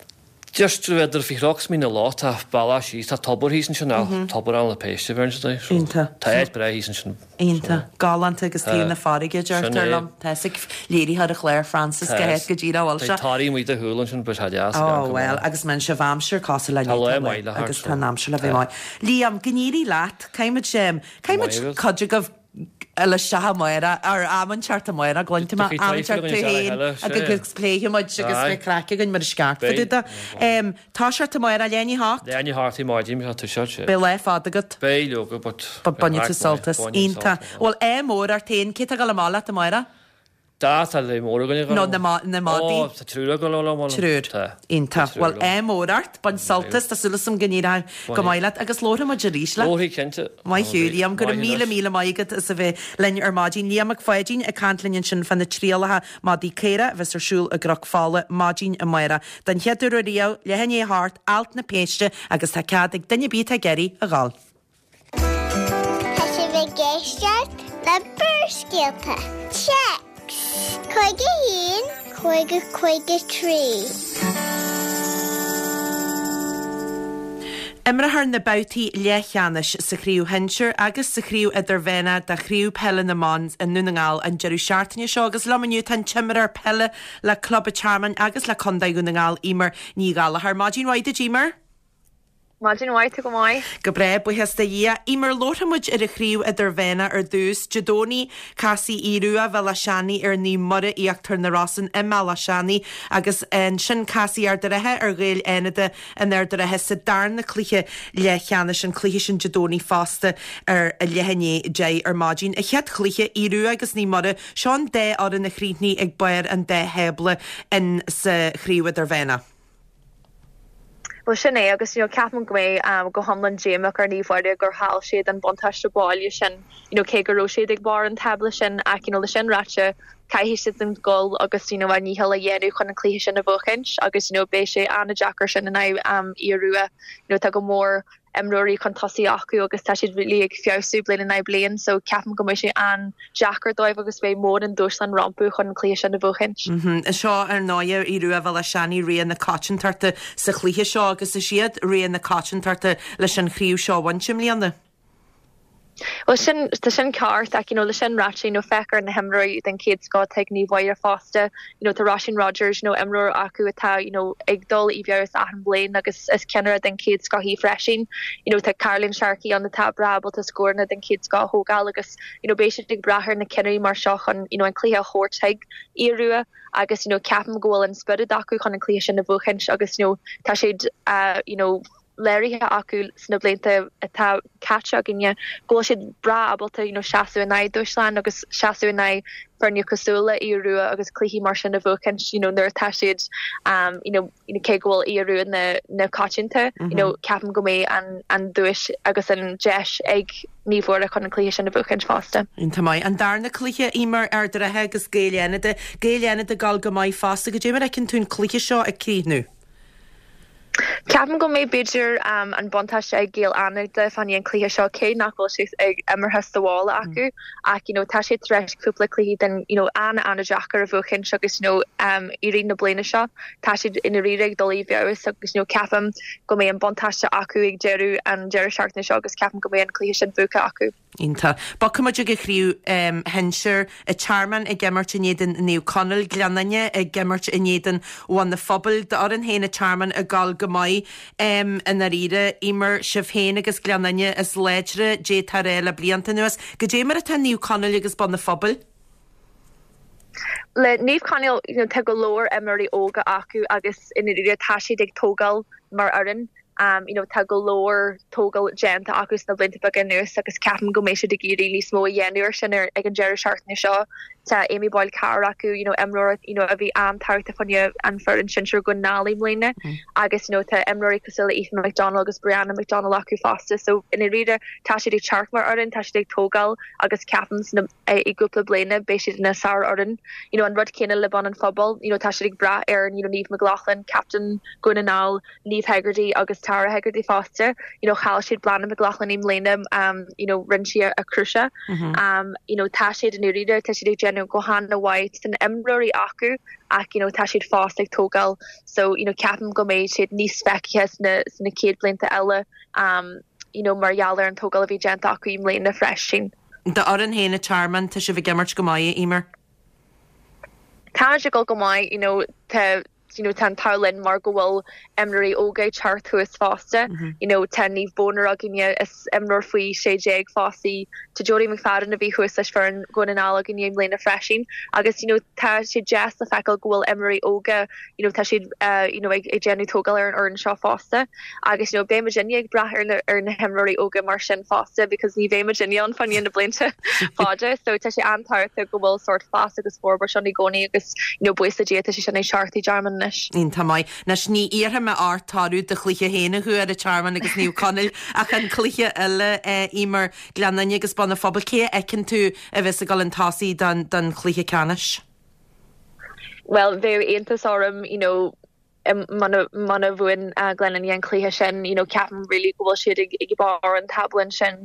Just idir faoi Chnoc is Mín na Loch, tá bealach síos, tá tobar thíos ansin, tobar Ailt na Péiste a bheireann siad air. So, Iontach. Tá áit breá thíos ansin. Iontach. Galánta agus taobh na farraige, Sin deirtear é. liom. Tá a fhios ag léiritheoir an chláir Francis Tá go háit go díreach a bhfuil Tá sé. tarraí amuigh do shúil ansin, but tá deas. Ó, bhuel, agus má sibh aimsir cosúil le Tá lá inniu, tá maith le lá, thart, agus so. tá an aimsir le bheith Tá. maith. Liam, go n-éirí leat. Caithfimid, caithfimid Maith agat. cuid agaibh le isteach amárach, ar am inteacht amárach, cluinte mé, am inteacht tú féin agus pléifidh muid agus beidh craic againn mar is ceart fá dtaobh de. Toiseacht amárach, leath i ndiaidh a hocht. Leath i ndiaidh a hocht ar maidin, tá toiseacht, sé. Beidh lá fada agat. Beidh, leoga, but. But bainfidh tú sult as. Iontach. Bhuel, ádh mór ort féin, cé tá ag dul amach leat amárach? Tá, tá léir mór againn ag dul. Nó na na madaí. Ó, tá triúr ag dul liom. Triúr. Tá. Iontach. Bhuel, ádh mór ort, bain sult as, tá súil agam go n-éireoidh go maith leat agus labharfaidh muid arís leat. Labharfaidh, cinnte. Maith thú, Liam. Go raibh míle míle maith agat as a bheith linn ar maidin. Liam Mac Pháidín ag caint linn ansin fá na trialacha madaí caora a bheas ar siúl i gCnoc Fola maidin amárach. Den chéad uair ariamh, leath i ndiaidh a hocht, Alt na Péiste agus tá cead ag duine ar bith atá ag iarraidh a dhul. Tá sibh ag éisteacht le Barrscéalta. Téacs 51 50 53. Imreofar na babhtaí leathcheannais sa Chraobh Shinsir agus sa Chraobh Idirmheánach de Chraobh Peile na mBan i nDún na nGall an deireadh seachtaine seo agus liom inniu tá an t-imreoir peile le Club an Tearmainn agus le Contae Dhún na nGall, Eimear Ní Ghallchóir. Maidin mhaith duit, Eimear. Maidin mhaith, tá go maith. Go breá, buíochas do Dhia. Eimear, labharfaidh muid ar an chraobh idirmheánach ar dtús. Dé Domhnaigh, casfaidh Aodh Rua Bhéal Átha Seanaidh ar Naomh Muire Íochtar na Rosann i mBéal Átha Seanaidh agus ansin casfaidh Ard an Rátha ar Ghaeil Fhánada in Ard an Rátha sa darna cluiche leathcheannais, an cluiche sin Dé Domhnaigh fosta ar a leath i ndiaidh 10 ar maidin. An chéad chluiche, Aodh Rua agus Naomh Muire, seo an dá fhoireann a chríochnaigh ag barr an dá thábla in sa chraobh idirmheánach. Bhuel sin é agus you know ceapaim go mbeidh go hiomlán díomách ar Naomh Mhuire gur chaill siad an buntáiste baile sin you know cé go raibh siad ag barr an tábla sin ach you know le sin ráite caithfidh siad an dul agus you know a ndícheall a dhéanamh chun an cluiche sin a bhuachaint agus you know beidh sé an-deacair sin in aghaidh Aodh Rua you know tá go mór imreoirí chun tosaigh acu agus tá siad really ag feabhsú bliain in aghaidh bliain so ceapaim go mbeidh sé an-deacair dóibh agus beidh mór an dúshlán rompu chun an cluiche sin a bhuachaint. Seo ar ndóigh Aodh Rua Bhéal Átha Seanaidh rogha na coitiantachta sa chluiche seo agus is iad rogha na coitiantachta leis an chraobh seo a bhaint i mbliana. Bhuel sin, tá sin ceart ach you know le sin ráite you know féach ar na himreoirí den chéad scoth atá ag Naomh Mhuire fosta, you know tá Róisín Rogers you know imreoir acu atá you know ag dul i bhfeabhas achan bhliain agus is ceannaire den chéad scoth í freisin. You know tá Caroline Sharkey ann atá breá ábalta scóranna den chéad scoth a thógáil agus you know beidh siad ag brath ar na ceannairí mar seo chun you know an cluiche a thabhairt chuig Aodh Rua agus you know ceapaim go bhfuil an spiorad acu chun an cluiche sin a bhuachaint agus you know tá siad uh, you know léirithe acu sna blianta atá caite againne go bhfuil siad breá ábalta you know seasamh in aghaidh dúshláin agus seasamh in aghaidh foirne cosúil le Aodh Rua agus cluichí mar sin a bhuachaint you know nuair atá siad um you know you know cé go bhfuil Aodh Rua na na coitianta you know ceapaim go mbeidh an an duais agus an deis ag Naomh Mhuire chun an cluiche sin a bhuachaint fosta. Iontach maith. An darna cluiche, Eimear, Ard an Rátha agus Gaeil Fhánada. Gaeil Fhánada ag dul go maith fosta. Goidé mar a fheiceann tú an cluiche seo ag críochnú? Ceapaim go mbeidh b'fhéidir an buntáiste ag Gaeil Fhánada fá choinne an cluiche seo cé nach bhfuil sé ag imeartha sa bhaile acu ach you know tá siad tar éis cúpla cluiche den you know an-an-deacair a bhuachaint agus you know i rith na bliana seo tá siad i ndáiríre ag dul i bhfeabhas agus you know ceapaim go mbeidh an buntáiste acu ag deireadh an deireadh seachtaine seo agus ceapaim go mbeidh an cluiche sin buaite acu. Iontach. Bogfaidh muid ag an chraobh shinsir. An Tearmann ag imirt in éadan Naomh Conaill, Gleann Fhinne ag imirt in éadan Bhun an Phobail. D'fhoireann féin an Tearmann ag dul go maith i ndáiríre. Eimear, sibh féin agus Gleann Fhinne is láidre d'fhéadfá a rá le blianta anuas. Goidé mar atá Naomh Conaill agus Bun an Phobail? Le Naomh Conaill, you know, tá go leor imreoirí óga acu agus i ndáiríre tá siad ag tógáil mar fhoireann. You know tá go leor tógáil déanta acu sna blianta beaga anuas agus ceapaim go mbeidh siad ag iarraidh níos mó a dhéanamh ar sin ar ag an deireadh seachtaine seo. Tá Amy Boyle Carr acu, you know imreoir you know a bhí an-tábhachtach fá choinne an foireann sinsir Dhún na nGall i mbliana agus you know tá imreoirí cosúil le Aoife McDonnell agus Brianna McDonnell acu fosta so i ndáiríre tá siad ag teacht mar fhoireann, tá siad ag tógáil agus ceapaim sna i gcúpla bliana beidh siad ina sárfhoireann. You know an rud céanna le Bun an Phobail, you know tá siad ag brath ar you know Niamh McLaughlin, captain Dhún na nGall, Niamh Hegarty agus Tara Hegarty fosta. You know chaill siad Bláthnaid McLaughlin i mbliana um you know rinne sí a cruciate. Um you know tá siad i ndáiríre tá siad ag déanamh go han-mhaith tá na imreoirí acu ach you know tá siad fós ag tógáil so you know ceapaim go mbeidh siad níos feicthe sna sna chéad blianta eile um you know mar gheall ar an tógáil a bhí déanta acu i mbliana freisin. D'fhoireann féin an Tearmann tá sibh ag imirt go maith, a Eimear. Tá siad ag dul go maith you know tá you know tá an t-ádh linn mar go bhfuil imreoirí óga ag teacht thuas fosta. You know tá Niamh Boner againne is imreoir faoi 16 fós í. Tá Jodie McFadden a bhí thuas leis foireann Dhún na nGall againne i mbliana freisin. Agus you know tá sé deas le feiceáil go bhfuil imreoirí óga you know tá siad uh, you know ag, ag déanamh tógáil ar an fhoireann seo fosta. Agus you know beidh muidinne ag brath ar na, ar na himreoirí óga mar sin fosta because ní bheidh muidinne ann fá choinne na blianta fada. So tá sé an-tábhachtach go bhfuil sórt fás agus forbairt ann i gcónaí agus you know buíochas le Dia tá sé sin ag teacht i dTearmann anois. Iontach maith. Anois ní iarrfaidh mé ort toradh do chluiche féin a ghabháil ar an Tearmann agus Naomh Conaill ach an cluiche eile Eimear, Gleann Fhinne agus Bun an Phobail, cé a fheiceann tú a bheas ag dul chun tosaigh don, don chluiche ceannais? Well bheadh iontas orm you know muna muna bhuann Gleann Fhinne an cluiche sin you know ceapaim really go bhfuil siad ag ag barr an tábla ansin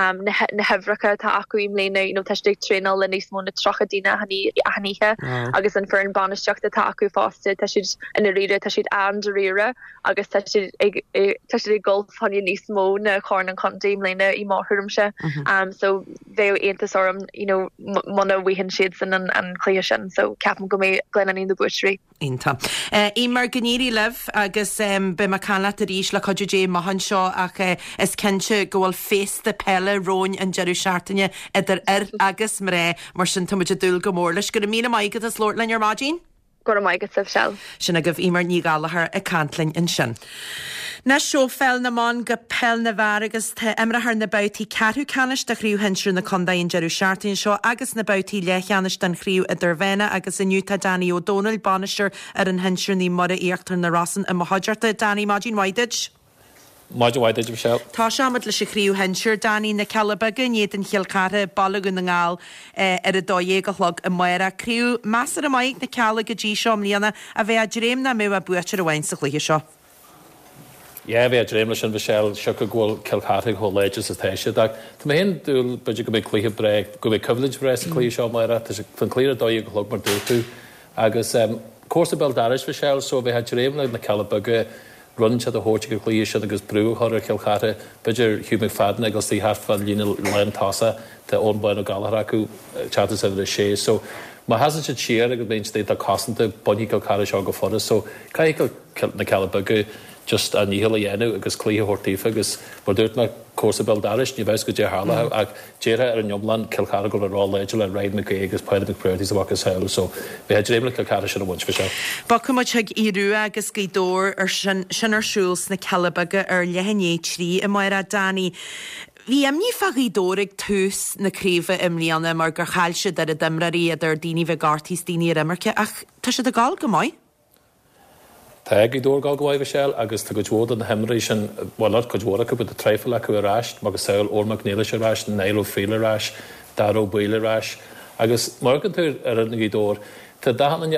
um na na huimhreacha atá acu i mbliana you know tá siad ag traenáil le níos mó na 30 duine achan achan oíche agus an foireann bainistíochta atá acu fosta tá siad i ndáiríre tá siad an-dáiríre agus tá siad ag tá siad ag dul fá choinne níos mó na Corn an Chontae i mbliana i mo thuairimse um so bheadh iontas orm you know muna bhfaigheann siadsan an an cluiche sin so ceapaim go mbeidh Gleann Fhinne na buaiteoirí. Iontach. Eimear, go. n-éirí libh agus beidh mé ag caint leat arís le cuidiú Dé amach anseo ach is cinnte go bhfuil féasta peile romhainn an deireadh seachtaine idir fhir agus mná, mar sin tá muid ag dúil go mór leis. Go raibh míle maith agat as labhairt linn ar maidin. Go raibh maith agat, Michelle. Sin agaibh Eimear Ní Ghallchóir ag caint linn ansin. Anois ó pheil na mban go peil na bhfear agus tá imreofar na babhtaí ceathrú ceannais de Chraobh Shinsir na Contae an deireadh seachtaine seo agus na babhtaí leathcheannais den Chraobh Idirmheánach agus inniu tá Danny Ó Dónaill, bainisteoir fhoireann shinsir Naomh Muire Íochtar na Rosann i mo chuideachta. Danny, maidin mhaith duit. Maidin mhaith duit, Michelle. Tosóimid leis an chraobh shinsir, Danny, Na Cealla Beaga in éadan Chill Chartha, Baile Dhún na nGall, ar a 12 a chlog amárach. Craobh measartha maith ag na Cealla go dtí seo i mbliana, ach bheifeá ag dréim nach mbeadh ach buaiteoir amháin sa chluiche seo. Yeah, bheifeá ag dréim leis sin, Michelle, siocair go bhfuil Cill Chartha chomh láidir is atá siad. Ach tá mé féin ag dúil, b'fhéidir go mbeidh cluiche breá, go mbeidh coimhlint bhreá sa chluiche seo amárach. Tá sé, tá an cluiche ar a 12 a chlog mar dúirt tú. Agus cúrsa béal dorais, Michelle, so bheifeá ag dréim le na Cealla Beaga rud inteacht a thabhairt ag an chluiche sin agus brú a chur ar Chill Chartha. B'fhéidir Hugh McFadden ag dul istigh thart fán líne lán tosach, tá Eoin Bán Ó Gallchóir acu ag teacht as uimhir a sé. So má sheasann siad siar agus bíonn siad iontach cosanta, bainfidh Cill Chartha seo go furast. So caithfidh na Cealla Beaga just a ndícheall a dhéanamh agus cluiche a thabhairt daofa agus mar dúirt mé, cúrsa béal dorais, ní bheadh a fhios goidé a tharlódh ach déarfá ar an iomlán Cill Chartha ag dul a bheith ró-láidir le Ryan McGee agus Páidí McBrearty is a mhacasamhail so bheifeá ag dréim le Cill Chartha sin a bhaint, Michelle. Bogfaidh muid chuig Aodh Rua agus Gaoth Dobhair ar sin, sin ar siúl sna Cealla Beaga ar leath i ndiaidh 3 amárach. Danny, Bhí imní fá Ghaoth Dobhair ag tús na craoibhe i mbliana mar gur chaill siad oiread imreoirí idir daoine a bhí gortaithe is daoine ar imirce ach tá siad ag gabháil go maith. Tá Gaoth Dobhair ag gabháil go maith, Michelle, agus tá cuid mhór de na himreoirí sin, bhuel, not cuid mhór acu, but tá traidhfil acu ar ais, macasamhail Eoin Mac Niallais ar ais, Niall Ó Frighil ar ais, Dara Ó Baoill ar ais. Agus má amharcann tú ar fhoireann Ghaoth Dobhair, tá achan duine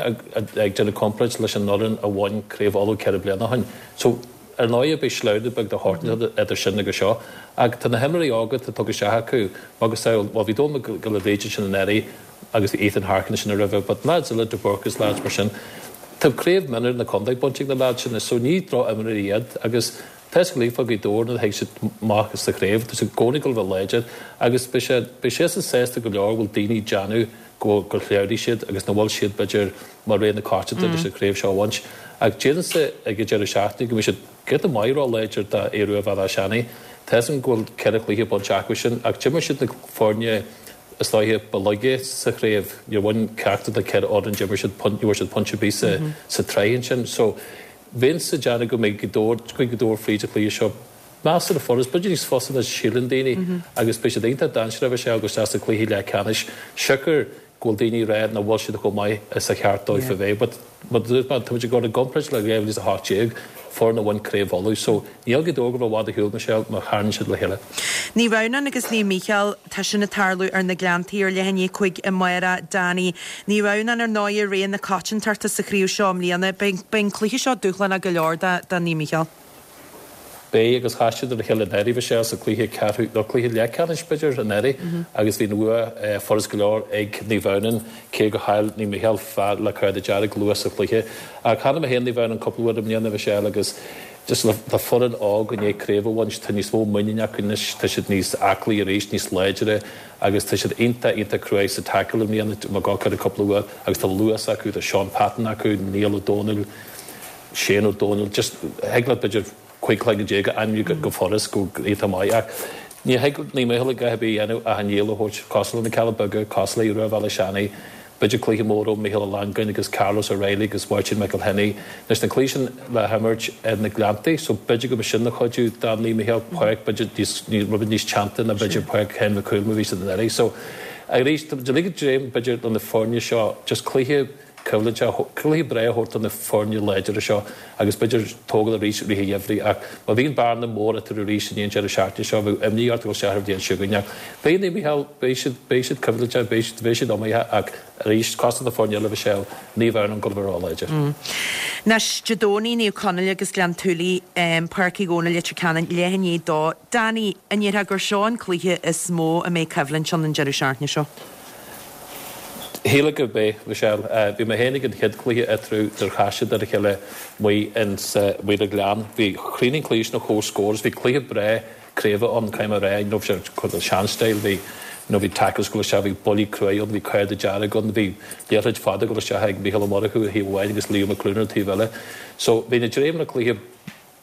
ag déanamh comparáid leis an fhoireann a bhain Craobh Uladh 4 bliana ó shin. So, ar ndóighe, beidh sleamhnú beag de shórt idir sin agus seo. Ach tá na himreoirí óga atá tugtha isteach acu, macasamhail, bhuel, bhí Dónal Mac Giolla Bhríde ansin anuraidh, agus bhí Ethan Harkin ansin roimhe, but lads eile, De Búrca is lads mar sin, tá craobh mionúir na contae bainte ag na lads sin so ní droch-imreoirí iad agus tá fhios ag fá Ghaoth Dobhair nuair a thig siad amach sa chraobh, tá siad i gcónaí ag dul a bheith láidir agus beidh sé, beidh siadsan sásta go leor go bhfuil daoine ag déanamh go bhfuil, gur shleamhnaigh siad agus nach bhfuil siad b'fhéidir mar rogha na coitianta leis an chraobh seo a bhaint ach déarfainnse ag an deireadh seachtaine go mbeidh siad giota maith ró-láidir do Aodh Rua Bhéal Átha Seanaidh. Tá fhios agam go bhfuil 4 chluiche bainte acu sin ach d'imir siad na foirne Is dóiche ba laige sa chraobh. Níor bhain ceachtar de na 4 fhoireann, d'imir siad, ní bhfuair siad pointe ar bith sa sa tsraith ansin. So, bheinnse ag déanamh go mbeidh Gaoth Dobhair, go mbeidh Gaoth Dobhair fríd an chluiche seo measartha furast, b'fhéidir níos fusa ná síleann daoine agus beidh siad iontach dainséarach a bheith ag dul isteach sa chluiche leathcheannais siocair go bhfuil daoine ag rá nach bhfuil siad chomh maith is a cheart dóibh a bheith. But mar a dúirt mé, tá muid ag dul i gcomparáid le 2018, foireann a bhain Craobh Uladh. So níl Gaoth Dobhair ag dul i bhfad ar shiúl, Michelle, má tharraingíonn siad le chéile. Naomh Adhamhnáin agus Naomh Mícheál, tá sin ag tarlú ar na Gleanntaí ar leath i ndiaidh 5 amárach. Danny, Naomh Adhamhnáin ar ndóigh rogha na coitiantachta sa chraobh seo i mbliana. Beidh an cluiche seo dúshlánach go leor do Naomh Mícheál. Beidh, agus chas siad ar a chéile anuraidh, Michelle, sa chluiche ceathrú, nó cluiche leathcheannais, b'fhéidir, anuraidh, agus bhí an bhua furast go leor ag Naomh Adhamhnáin, cé gur chaill Naomh Mícheál fear le cárta dearg luath sa chluiche. Ach chonaic mé féin Naomh Adhamhnáin cúpla uair i mbliana, Michelle, agus just le foireann óg i ndiaidh craobh a bhaint, tá níos mó muiníne acu anois, tá siad níos aclaí arís, níos láidre, agus tá siad iontach, iontach cruaidh sa tackle i mbliana, mar go cúpla uair, agus tá luas acu, tá Seán Patton acu, Niall Ó Dónaill, Shane Ó Dónaill, just thig leat b'fhéidir 15 cloigeann a ainmniú go furast go iontach maith ach ní thig le Naomh Mícheál a dhath ar bith a dhéanamh ach a ndícheall a thabhairt cosúil le na Cealla Beaga, cosúil le Aodh Rua Bhéal Átha Seanaidh, b'fhéidir cluiche mór ó Mhícheál Ó Longáin agus Carlos O'Reilly agus Máirtín McElhinney. Anois na cluichí sin le himirt ar na Gleanntaí so b'fhéidir go mbeidh sin ina chuidiú do Naomh Mícheál, páirc b'fhéidir níos, rud beag níos teannta ná b'fhéidir páirc Sheáin Mhic Cumhaill mar a bhí siad anuraidh. So arís, tá muid uilig ag dréim b'fhéidir le na foirne seo just cluiche coimhlinte, cluiche breá a thabhairt do na foirne láidre seo agus b'fhéidir tógáil arís i rith an gheimhridh ach má bhíonn bearna mór eatarthu arís i ndiaidh an deireadh seachtaine seo bheadh imní ort a dhul isteach ar an bhliain seo chugainn ach beidh Naomh Mícheál, beidh siad, beidh siad coimhlinteach, beidh siad, beidh siad iomaíoch ach arís, cosúil le na foirne eile Michelle, Naomh Adhamhnáin ag dul a bheith ró-láidir. Anois, Dé Domhnaigh, Naomh Conaill agus Gleann tSúilí, Páirc Uí Dhónaill, Leitir Ceanainn, leath i ndiaidh a dó. Danny, an ndéarfá gur seo an cluiche is mó a mbeidh coimhlint ann an deireadh seachtaine seo? Shílfeá gurb é, Michelle. Bhí mé féin ag an chéad chluiche eatarthu nuair a chas siad ar a chéile amuigh ins amuigh ar an Ghleann. Bhí chríochnaigh an cluiche sin ar comhscór agus bhí cluiche breá craoibhe ann, caithfidh mé a rá. Ní raibh sé sean-style. Bhí. You know bhí tackles ag dul isteach, bhí buillí cruaidh ann, bhí cárta dearg ann, bhí liathróid fada ag dul isteach ag Mícheál Ó Murchú ar thaobh amháin agus Leo McLoone ar an taobh eile. So bhí na dréimeanna cluiche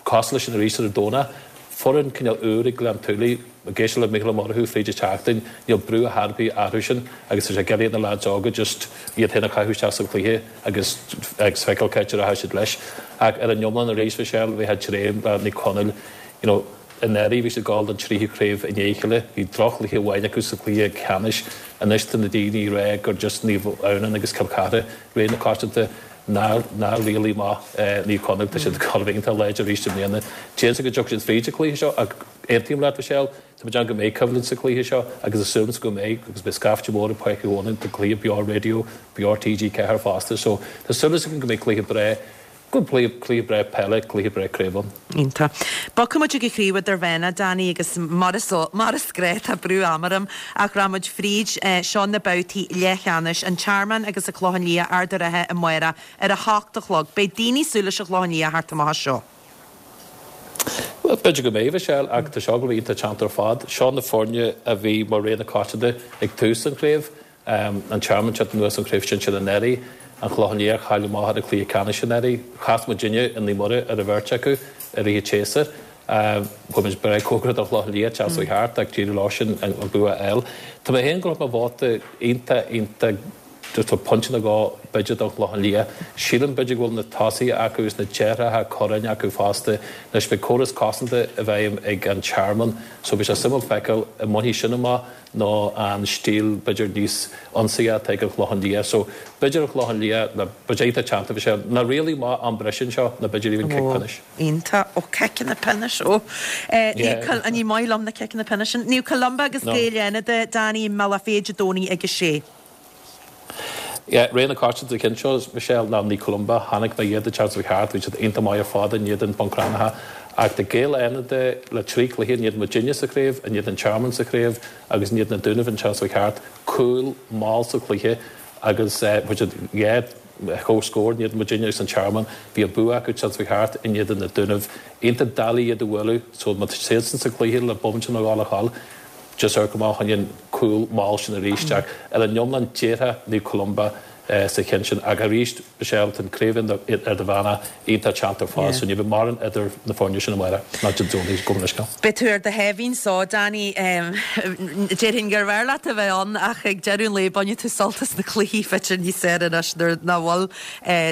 cosúil leis sin arís ar an Domhnach. Foireann cineál úr ag Gleann tSúilí, ag éisteacht le Mícheál Ó Murchú fríd an tseachtain, níl brú ar chor ar bith orthu sin agus tá sé ag iarraidh ar na lads óga just iad féin a chaitheamh isteach sa chluiche agus agus feiceáil cá háit a rachaidh siad leis. Ach ar an iomlán arís Michelle, bheifeá ag dréim le Naomh Conaill, you know, anuraidh bhí siad ag gabháil don tríú craobh i ndiaidh a chéile, bhí droch-chluiche amháin acu sa chluiche ceannais, anois tá na daoine ag rá gur just Naomh Adhamhnáin agus Cill Chartha rogha na coitianta. Ná ná rialaigh amach Naomh Conaill, tá siad ag gabháil a bheith iontach láidir arís i mbliana. D'fhéadfadh go dtiocfaidh siad fríd an chluiche seo ach aontaím leat Michelle, tá muid ann go mbeidh coimhlint sa chluiche seo agus is súil go mbeidh agus beidh scaifte mór i Páirc Uí Mhónáin, tá cluiche beo raidió, beo TG4 fosta so tá súil agam go mbeidh cluiche breá, go mbeidh cluiche breá peile, cluiche breá craoibhe ann. Iontach. Bogfaidh muid ag an chraobh idirmheánach, Danny, agus mar is mar is gnách tá brú ama orm ach rachaidh muid fríd. Seo na babhtaí leathcheannais, An Tearmann agus an Clochán Liath, Ard an Rátha amárach ar a hocht a chlog. Beidh daoine ag súil leis an Chlochán Liath a theacht amach as seo. Bhuel, b'fhéidir go mbeidh, Michelle, ach tá seo ag gabháil a bheith iontach teannta ar fad. Seo na foirne a bhí mar rogha na coitianta ag tús an chraobh. An Tearmann teacht anuas ón chraobh sinsir anuraidh, An Clochán Liath chaill amach ar an cluiche ceannais anuraidh. Chas muidinne i Naomh Muire ar an bheirt acu i rith an tséasúir. Chuaigh muid breá cóngarach don Chlochán Liath an tseachtain seo thart ach d'éirigh leo sin an bua a fháil. Tá mé féin ag gabháil mo vóta iontach iontach just tá pointe nó dhó b'fhéidir don Chlochán Liath. Sílim b'fhéidir go bhfuil na tosaithe acu agus na deartháireacha Curráin acu fosta. Anois beidh córas cosanta i bhfeidhm ag an Tearmann so beidh sé suimiúil feiceáil an mbainfidh sin amach nó an stíl b'fhéidir níos ionsaithe atá ag an Chlochán Liath. So b'fhéidir an Clochán Liath le b'fhéidir iontach teannta bhí sé ná rialaigh maith am breise anseo nó b'fhéidir even cic pionóis. Iontach. Ó ciceanna pionóis ó. Ní maith liom na ciceanna pionóis sin. Naomh Columba agus Gaeil Fhánada, Danny i mBealach Féich Dé Domhnaigh ag a sé. Yeah, rogha na coitianta sa cheann seo, Michelle, ná Naomh Columba. Chonaic mé iad an tseachtain seo thart, bhí siad iontach maith ar fad in éadan Bun Cranncha. Ach tá Gaeil Fhánada le trí chluiche, in éadan muidinne sa chraobh, in éadan an Tearmann sa chraobh agus in éadan na Dúnaibh an tseachtain seo thart, cúl mall sa chluiche agus fuair siad dhá chomhscór in éadan muidinne agus an Tearmann. Bhí an bua acu an tseachtain seo thart in éadan na Dúnaibh. Iontach doiligh iad a bhualadh so má tá siadsan sa chluiche le bomaite nó dhó le dhul, Just amharc amach fá choinne an cúl mall sin arís ach ar an iomlán déarfá Naomh Columba sa cheann sin ach arís Michelle tá an craobh idirmheánach iontach teannta ar fad so ní bheidh mórán idir na foirne sin amárach ná Dé Domhnaigh gabh mo leithscéal. Beidh tú ar do sháimhín só, Danny. Déarfainn gurbh fhearr leat a bheith ann ach ag deireadh an lae bainfidh tú sult as na cluichí b'fhéidir níos fearr anois nuair nach bhfuil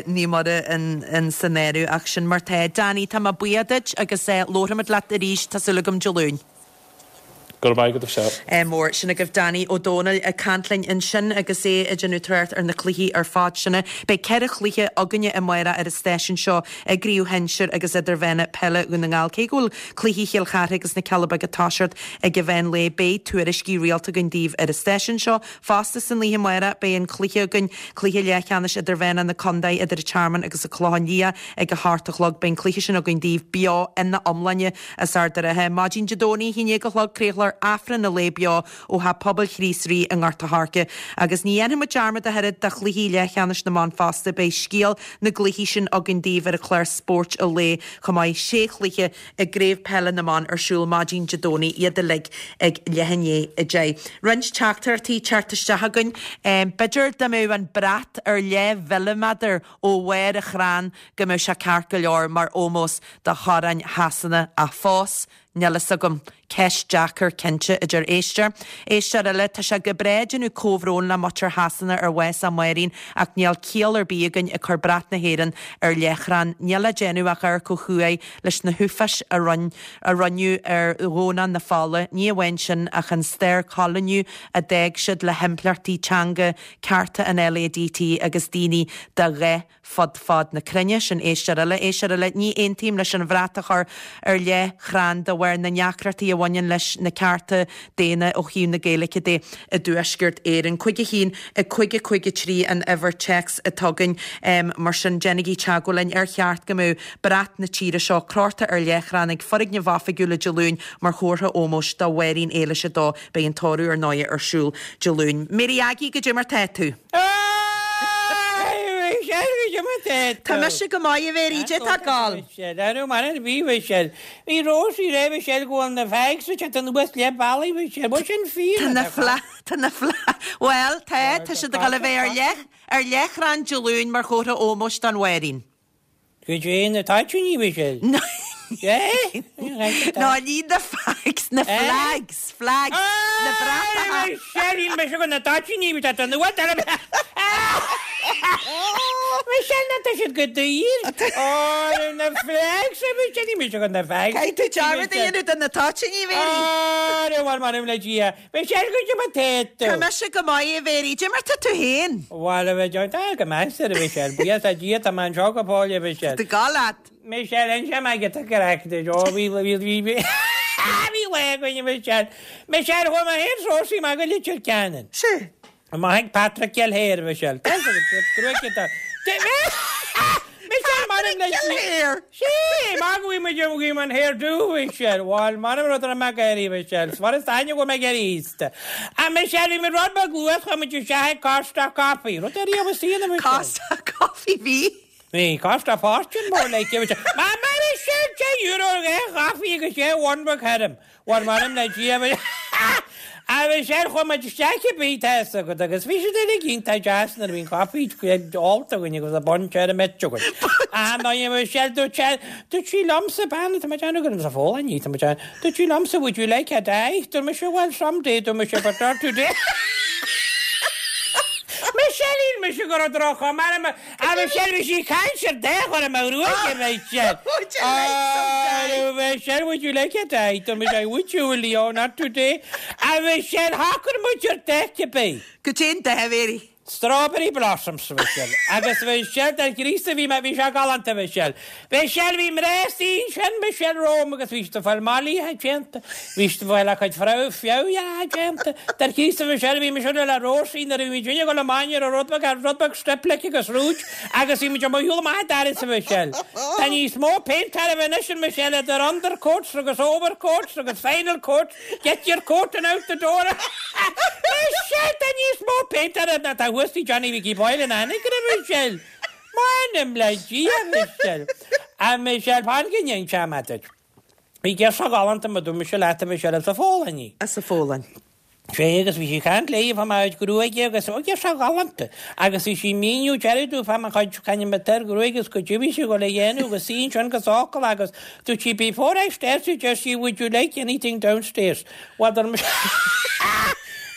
Naomh Muire in san áireamh ach sin mar tá. Danny, tá mé buíoch duit agus labharfaimid leat arís, tá súil agam Dé Luain. Go raibh maith agat, a Mhichelle. Mór. Sin agaibh Danny Ó Dónaill ag caint linn ansin agus é ag déanamh trácht ar na cluichí ar fad sin. Beidh 4 chluiche againne amárach ar an stáisiún seo i gCraobh Shinsir agus Idirmheánach Peile Dhún na nGall. Cé go bhfuil cluichí Chill Chartha agus na Cealla Beaga ag toiseacht ag an mheán lae, beidh tuairiscí rialta againn daoibh ar an stáisiún seo. Fosta san oíche amárach beidh an cluiche againn, cluiche leathcheannais idirmheánach na contae idir an Tearmann agus an Clochán Liath ag a hocht a chlog. Beidh an cluiche sin againn daoibh beo ina iomláine as Ard an Rátha. Maidin Dé Domhnaigh, 11 a chlog, craolfar Aifreann an lae beo ó Theach Pobail Chríost Rí i nGort a' Choirce. Agus ní dhéanfaidh muid dearmad ach oiread de chluichí leathcheannais na mban fosta, beidh scéal na gcluichí sin againn daoibh ar an chlár Spóirt an Lae chomh maith. Sé chluiche i gCraobh Peile na mBan ar siúl maidin Dé Domhnaigh, iad uilig ag leath i ndiaidh 10. Roinnt teachtaireachtaí ag teacht isteach againn. B'fhéidir dá mbeadh an brat ar leath-mhilliméadar ó bharr an chrainn go mbeadh sé ceart go leor mar ómós do Choróin Shasana ach fós, níl fhios agam. Ceist deacair, cinnte, a deir éisteoir. Éisteoir eile, Tá sé go breá déanamh comhbhrón le muintir Shasana ar bhás a Máirín ach níl ciall ar bith againn ag cur brat na hÉireann ar leathchrann. Níl le déanamh ach amharc ó thuaidh leis na huafáis a a rinneadh ar Dhomhnach na Fola. Ní amháin sin ach an stair coilíniú a d'fhág siad le himpleachtaí teanga, cearta an LADT agus daoine de dhath fud fad na cruinne. Sin éisteoir eile. Éisteoir eile, Ní aontaím leis an bhrat a chur ar leathchrann de bharr na ndeacrachtaí a bhaineann leis na cearta daonna ó thaobh na Gaeilge de i dTuaisceart Éireann. 5 1 5 5 3 an uimhir téacs atá againn. Mar sin, déanaigí teagmháil linn. Ar cheart go mbeadh brat na tíre seo crochta ar leathchrann ag foirgnimh oifigiúla Dé Luain mar chomhartha ómóis do Mháirín Éilis 2? Beidh an tórramh ar ndóigh ar siúl Dé Luain. Mary Aggie, goidé mar tá tú? tá tú? Tá mise go maith, a Mhéirí, cad é tá ag gabháil? Michelle, Cha raibh mar ar bith, Michelle. Bhí Róisín ag rá, Michelle, go bhfuil na fags ag teacht anuas leath bealaigh, Michelle. Bhfuil sin fíor? Tá na fla, tá na fla, bhuel, tá, tá siad ag dul a bheith ar leath, ar leathchrann Dé Luain mar chomhartha ómóis don Mháirín. Goidé na toitíní, Michelle? No, ní na fags, na flags, flags, na bratacha. Michelle, níl mise go na toitíní, bhí tá nua tar Michelle, ná tá siad go daor. Ó, na flags, Michelle, níl mise go na fags. Caithfidh tú dearmad a dhéanamh de na toitíní, Mhéirí. Ó, bhuel, m'anam le Dia. Michelle, goidé mar tá tú. Tá mise go maith, a Mhéirí. Cad é mar tá tú féin? Bhuel, a bheith tá go maith, a Mhichelle. Buíochas le Dia, tá mé anseo go fóill, a Mhichelle. Tá gá leat. Michelle, inseoidh mé giota craic duit. Ó, bhí, bhí, bhí, bhí, bhí lá againn, a Mhichelle. Michelle, chuaigh mé féin is Róisín amach go Leitir Ceanainn. Sea. Amach ag Patrick Kelleher, a Mhichelle. Gruaig atá. Michelle, m'anam le Patrick Kelleher! Sea, maith go bhfuil muid ag an hairdo, a Mhichelle. Bhuel, m'anam rud a raibh mé ag éirí, a Mhichelle. Is mar is aithne go bhfuil mé ag éirí aosta. A Michelle, bhí muid rud beag luath, chuaigh muid isteach ag Costa Coffee. Rud ar riamh is aon, a Mhichelle. Costa Coffee, bhí. Bhí, cost a fortune more like, a Mhichelle. M'anam, Michelle, €10 ar dhá chaife agus dhá bhun beag thirim. Bhuel, m'anam le Dia, a Mhichelle, chuaigh muid isteach cibé, tá fhios agat, agus bhí siad uilig iontach deas nuair a bhí an caife ólta againn agus an bun tirim ite againn. Ah, no, a Mhichelle, dúirt sé, dúirt sí liomsa, bean, tá mé ag déanamh gur sa Pholainn í, tá mé ag déanamh, dúirt sí liomsa, would you like a dye? Dúirt mise, well, someday, dúirt mise, but not today. Michelle, shíl mise go raibh droch-chuma orm, A Mhichelle, bhí sí ag caint ar dath orm a ghruaig, a Mhichelle. Would you like some dye? A Mhichelle, would you like a dye? Dúirt mise, would you, Leo, not today. A Mhichelle, shocair muid ar dath cibé. Goidé an dath, a Mhéirí. Strawberry blossoms, a Mhichelle. Agus a Mhichelle, dar Chríost a bhí mé, bhí sé galánta, a Mhichelle. Michelle, bhí mná suí ansin, Michelle, romham agus bhí siad ag fáil mallaithe déanta, bhí siad ag fáil a gcuid feabhadh déanta. Dar Chríost a Mhichelle, bhí mise le Róisín nuair a bhí muid ag dul amach ar an rud beag, ar rud beag strip like agus rouge agus bhí muid amuigh shiúl amach an doras a Mhichelle. Tá níos mó péint oraibh anois a Mhichelle idir undercoats agus overcoats agus final coats, get your coat and out the door. Michelle, tá níos mó péint oraibh ná tá thuas tigh Johnny Mhicí Boyle in Anagaire, a Mhichelle. M'anam le Dia, a Mhichelle. A Mhichelle, fan go n-inseoidh mé duit. Bhí girseach ghalánta mar dúirt mise leat, a Mhichelle, as an Pholainn í. As an Pholainn. Sea, agus bhí sí ag caint léi fá mo chuid gruaige agus, ó, girseach ghalánta. Agus bhí sí ag míniú deireadh domh fá mo chuid, c'ainm atá air, gruaige agus goidé a bhí sí ag dul a dhéanamh agus í ansin go socair agus dúirt sí, before I start, deir sí, would you like anything downstairs? Bhuel, dúirt mise,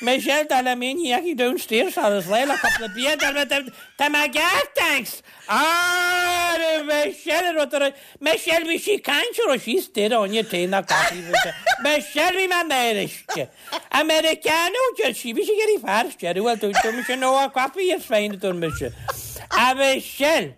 Michelle, dar liom féin, ní dheachaigh downstairs agus léi le cúpla bia, dar liom, Tá mé ceart, thanks! Arr, Michelle, rud ar Michelle, bhí sí ag caint a raibh sí istigh ar onion tae ná coffee, bhí sé, Michelle, bhí mé in aisce. Americano, deir sí, bhí sí ag iarraidh fear istigh, bhuel, dúirt mise, no, a coffee is fine, a dúirt mise. A Michelle,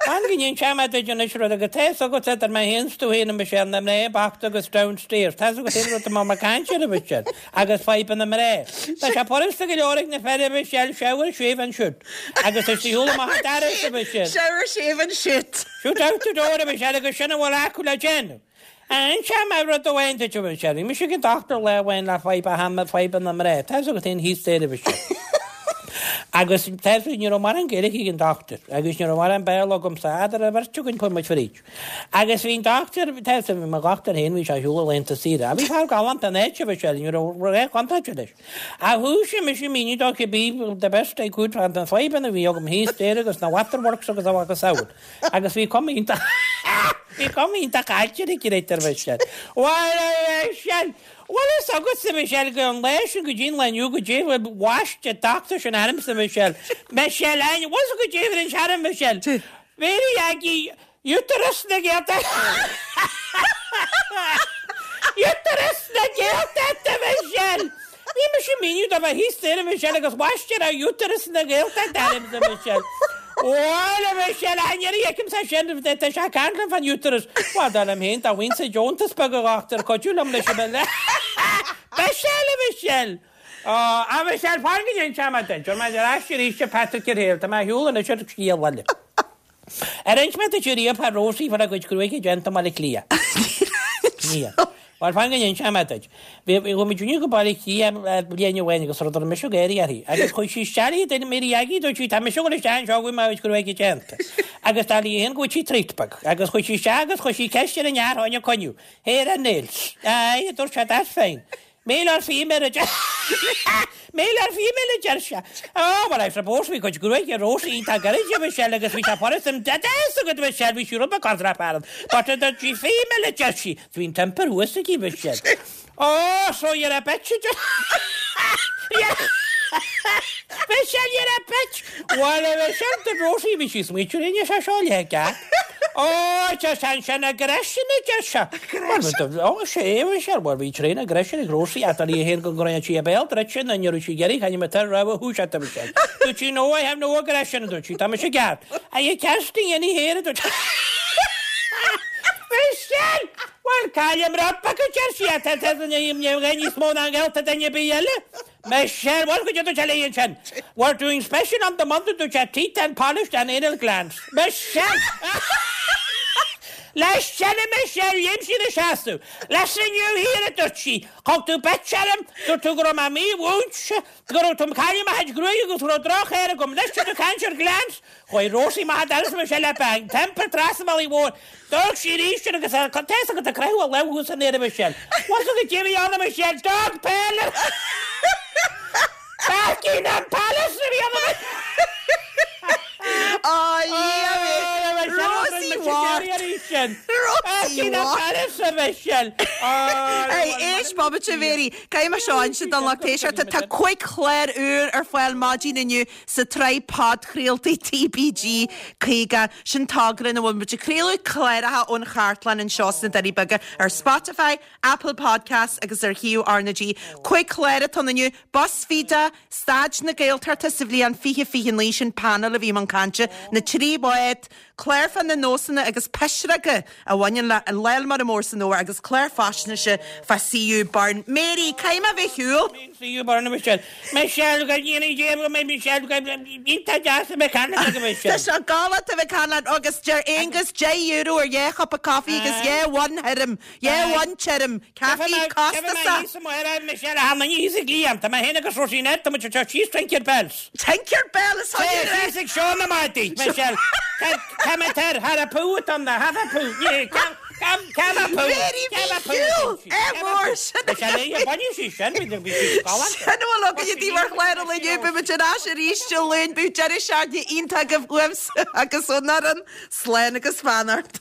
fan go n-inseoidh mé duit anois rud agus tá fhios agat idir mé féin 's tú féin, a Michelle, na mná bochta agus downstairs, tá fhios agat féin rud atá mé ag caint air, a Michelle. Agus fadhbanna mná. Tá sé furasta go leor ag na fir, a Mhichelle, shower, shave and shoot. Agus is shiúl amach an doras, a Mhichelle. Shower, shave and shoot. Shoot out the door, a Mhichelle, agus sin a bhfuil acu le déanamh. Inseoidh mé rud amháin duit, a Mhichelle. Bhí mise ag an dochtúir lá amháin le fadhb a shean, fadhbanna mná. Tá fhios agat féin thíos staighre, a Mhichelle. Agus tá fhios agat, ní raibh mórán Gaeilge ag an dochtúir, agus ní raibh mórán Béarla agamsa, eadar an bheirt againn chuaigh muid fríd. Agus bhí an dochtúir, tá fhios agat, bhí mo dhochtúir féin, bhí sé ar shiúl ar laethanta saoire. Ach bhí fear galánta in áit, a Mhichelle, ní raibh aon chontúirt leis. Ach thoisigh mise ag míniú dó cibé, the best I could, fá na fadhbanna a bhí agam thíos staighre agus na waterworks agus a mhacasamhail. Agus bhí cuma iontach, bhí cuma iontach caillte uirthi, a Mhichelle. Bhuel, a Mhichelle, bhfuil fhios agatsa, a Mhichelle, go an lá sin go dtí an lá inniu goidé a bhaist an dochtúir sin ormsa, a Mhichelle. Michelle, bhfuil fhios agat goidé a rinne sé orm, a Mhichelle. Mary Aggie, Uterus na Gaeltachta! Uterus na Gaeltachta, Michelle! Bhí mise ag míniú dó fá thíos staighre, Michelle, agus bhaist sé Uterus na Gaeltachta ormsa, Michelle. Bhuel, a Michelle, an iarraidh fheicimse sin, tá sé ag caint liom fán uterus. Bhuel, dar liom féin, dá bhfaighinn-se deontas beag a dhochtúir, cuidiú liom leis an bhille. Michelle, a Michelle! Ó, a Michelle, fan go n-inseoidh mé duit. Tabharfaidh mé ar ais arís a Patrick ar Hale, tá mé ar shiúl anois ar scéal eile. Ar inis mé duit ariamh fá Rosie fuair a cuid gruaige déanta i mBaile Átha Cliath? Níor. Bhuel, fan go n-inseoidh mé duit. Bhí, chuaigh muid inniu go Baile Átha Cliath bliain amháin agus rud a raibh mise ag éirí uirthi. Agus chuaigh sí isteach léi, duine Mary Aggie, dúirt sí, tá mise ag dul isteach anseo go bhfuil mo chuid gruaige déanta. Agus dar léi féin go bhfuil sí traochta beag. Agus chuaigh sí isteach agus chuir sí ceist ar an fhear fá choinne coinniú. Hair and nails. Aye, a dúirt sé, that's fine. Male or female a deir Male or female a deir sé. Oh, well I suppose bhí cuid gruaige Rosie iontach gairid a Michelle agus bhí sé furast an Tá fhios agat a Michelle bhí sí rud beag corrach ann. But a dúirt sí female a deir sí. Bhí an t-iompar thuas aici Michelle. Oh, so you're a bitch a deir Michelle you're a bitch! Well a Michelle dúirt Rosie bhí sí smaoitiú rinne sé seo le gceart. Oh, tá sé ansin aggression a deir sé. Ó, sé a Michelle, bhuel bhí tréan aggression ag Rosie ach dar léi féin go gcroíonn sí a béal druidte nó ní raibh sí ag iarraidh chaithfidh mé tar rogha thús a Michelle. Dúirt sí no I have no aggression a dúirt sí, tá mise ceart. Are you casting any hair a dúirt Michelle! Bhuel caillim rud beag a deir sí ach tá níos mó ná an ghaolta duine ar bith eile. Michelle, bhuel go dtí léi ansin. We're doing special on the Monday dúirt sé teeth and polished and anal glands. Michelle! Leis sin a Michelle, léim sí ina seasamh. Listen you here a dúirt sí, thug tú bitch orm, dúirt tú go raibh mé mímhúinte, go raibh tú ag cailleadh mo chuid gruaige agus go raibh droch-air agam, anois tá tú ag caint ar glands? Chuaigh Rosie amach an doras Michelle le bang, temper trasna an bhealaigh mhóir. D'amharc sí arís air agus tá fhios agat ag croitheadh a lámh thuas in aer a Michelle. Bhfuil fhios agat cé a bhí ann a Michelle? Dog Parlour! Buckingham Palace a bhí ann a Rosie Ward! Rosie Buckingham Palace a Michelle! Hey, éist bomaite a Mhéirí, caithfidh mé seo a inse don lucht éisteachta. Tá 5 chlár úr ar fáil maidin inniu sa tsraith podchraoltaí TBG 50, sin togra ina bhfuil muid ag craoladh cláracha ón chartlann anseo sna Doirí Beaga ar Spotify, Apple Podcasts agus ar shuíomh RnaG. 5 chlár atá ann inniu, BuzzFeed, Staid na Gaeltachta sa bhliain 2029, sin painéal a bhí i mbun cainte, na Trí Bhád, Clár fá na nósanna agus pisreoga a bhaineann le Lá Mara Mór san Fhómhar agus clár faisnéise fá C.U. Byrne. Mary, caithfidh mé a bheith ar shiúl. C.U. Byrne, a Michelle. Michelle, go ndéanaí Dia go mbeidh Michelle go iontach deas a bheith ag caint leat a Michelle. Tá sé galánta a bheith ag caint leat agus deir Aonghus €10 ar dhá chupa coffee agus dhá bhun thirim, dhá bhun tirim, caife costasach. Tiocfaidh mé thíos Michelle, a tháinig thíos ag Liam, tá mé féin agus Róisín air, tá muid ag teacht síos Tinker Bells. Tinker Bell is thug é Síos ag seó na maidí, Michelle. Tá mé tar, thar a pú atá na, have a pú, have a pú. Mary Mhichíl, é mór sin. Michelle, baineadh sí sin, bhí sí galánta. Sin a bhfuil againne daoibh ar chlár an lae inniu, beidh muid ar ais arís Dé Luain, bíodh deireadh seachtaine iontach agaibh uaimse agus ón fhoireann, slán agus beannacht.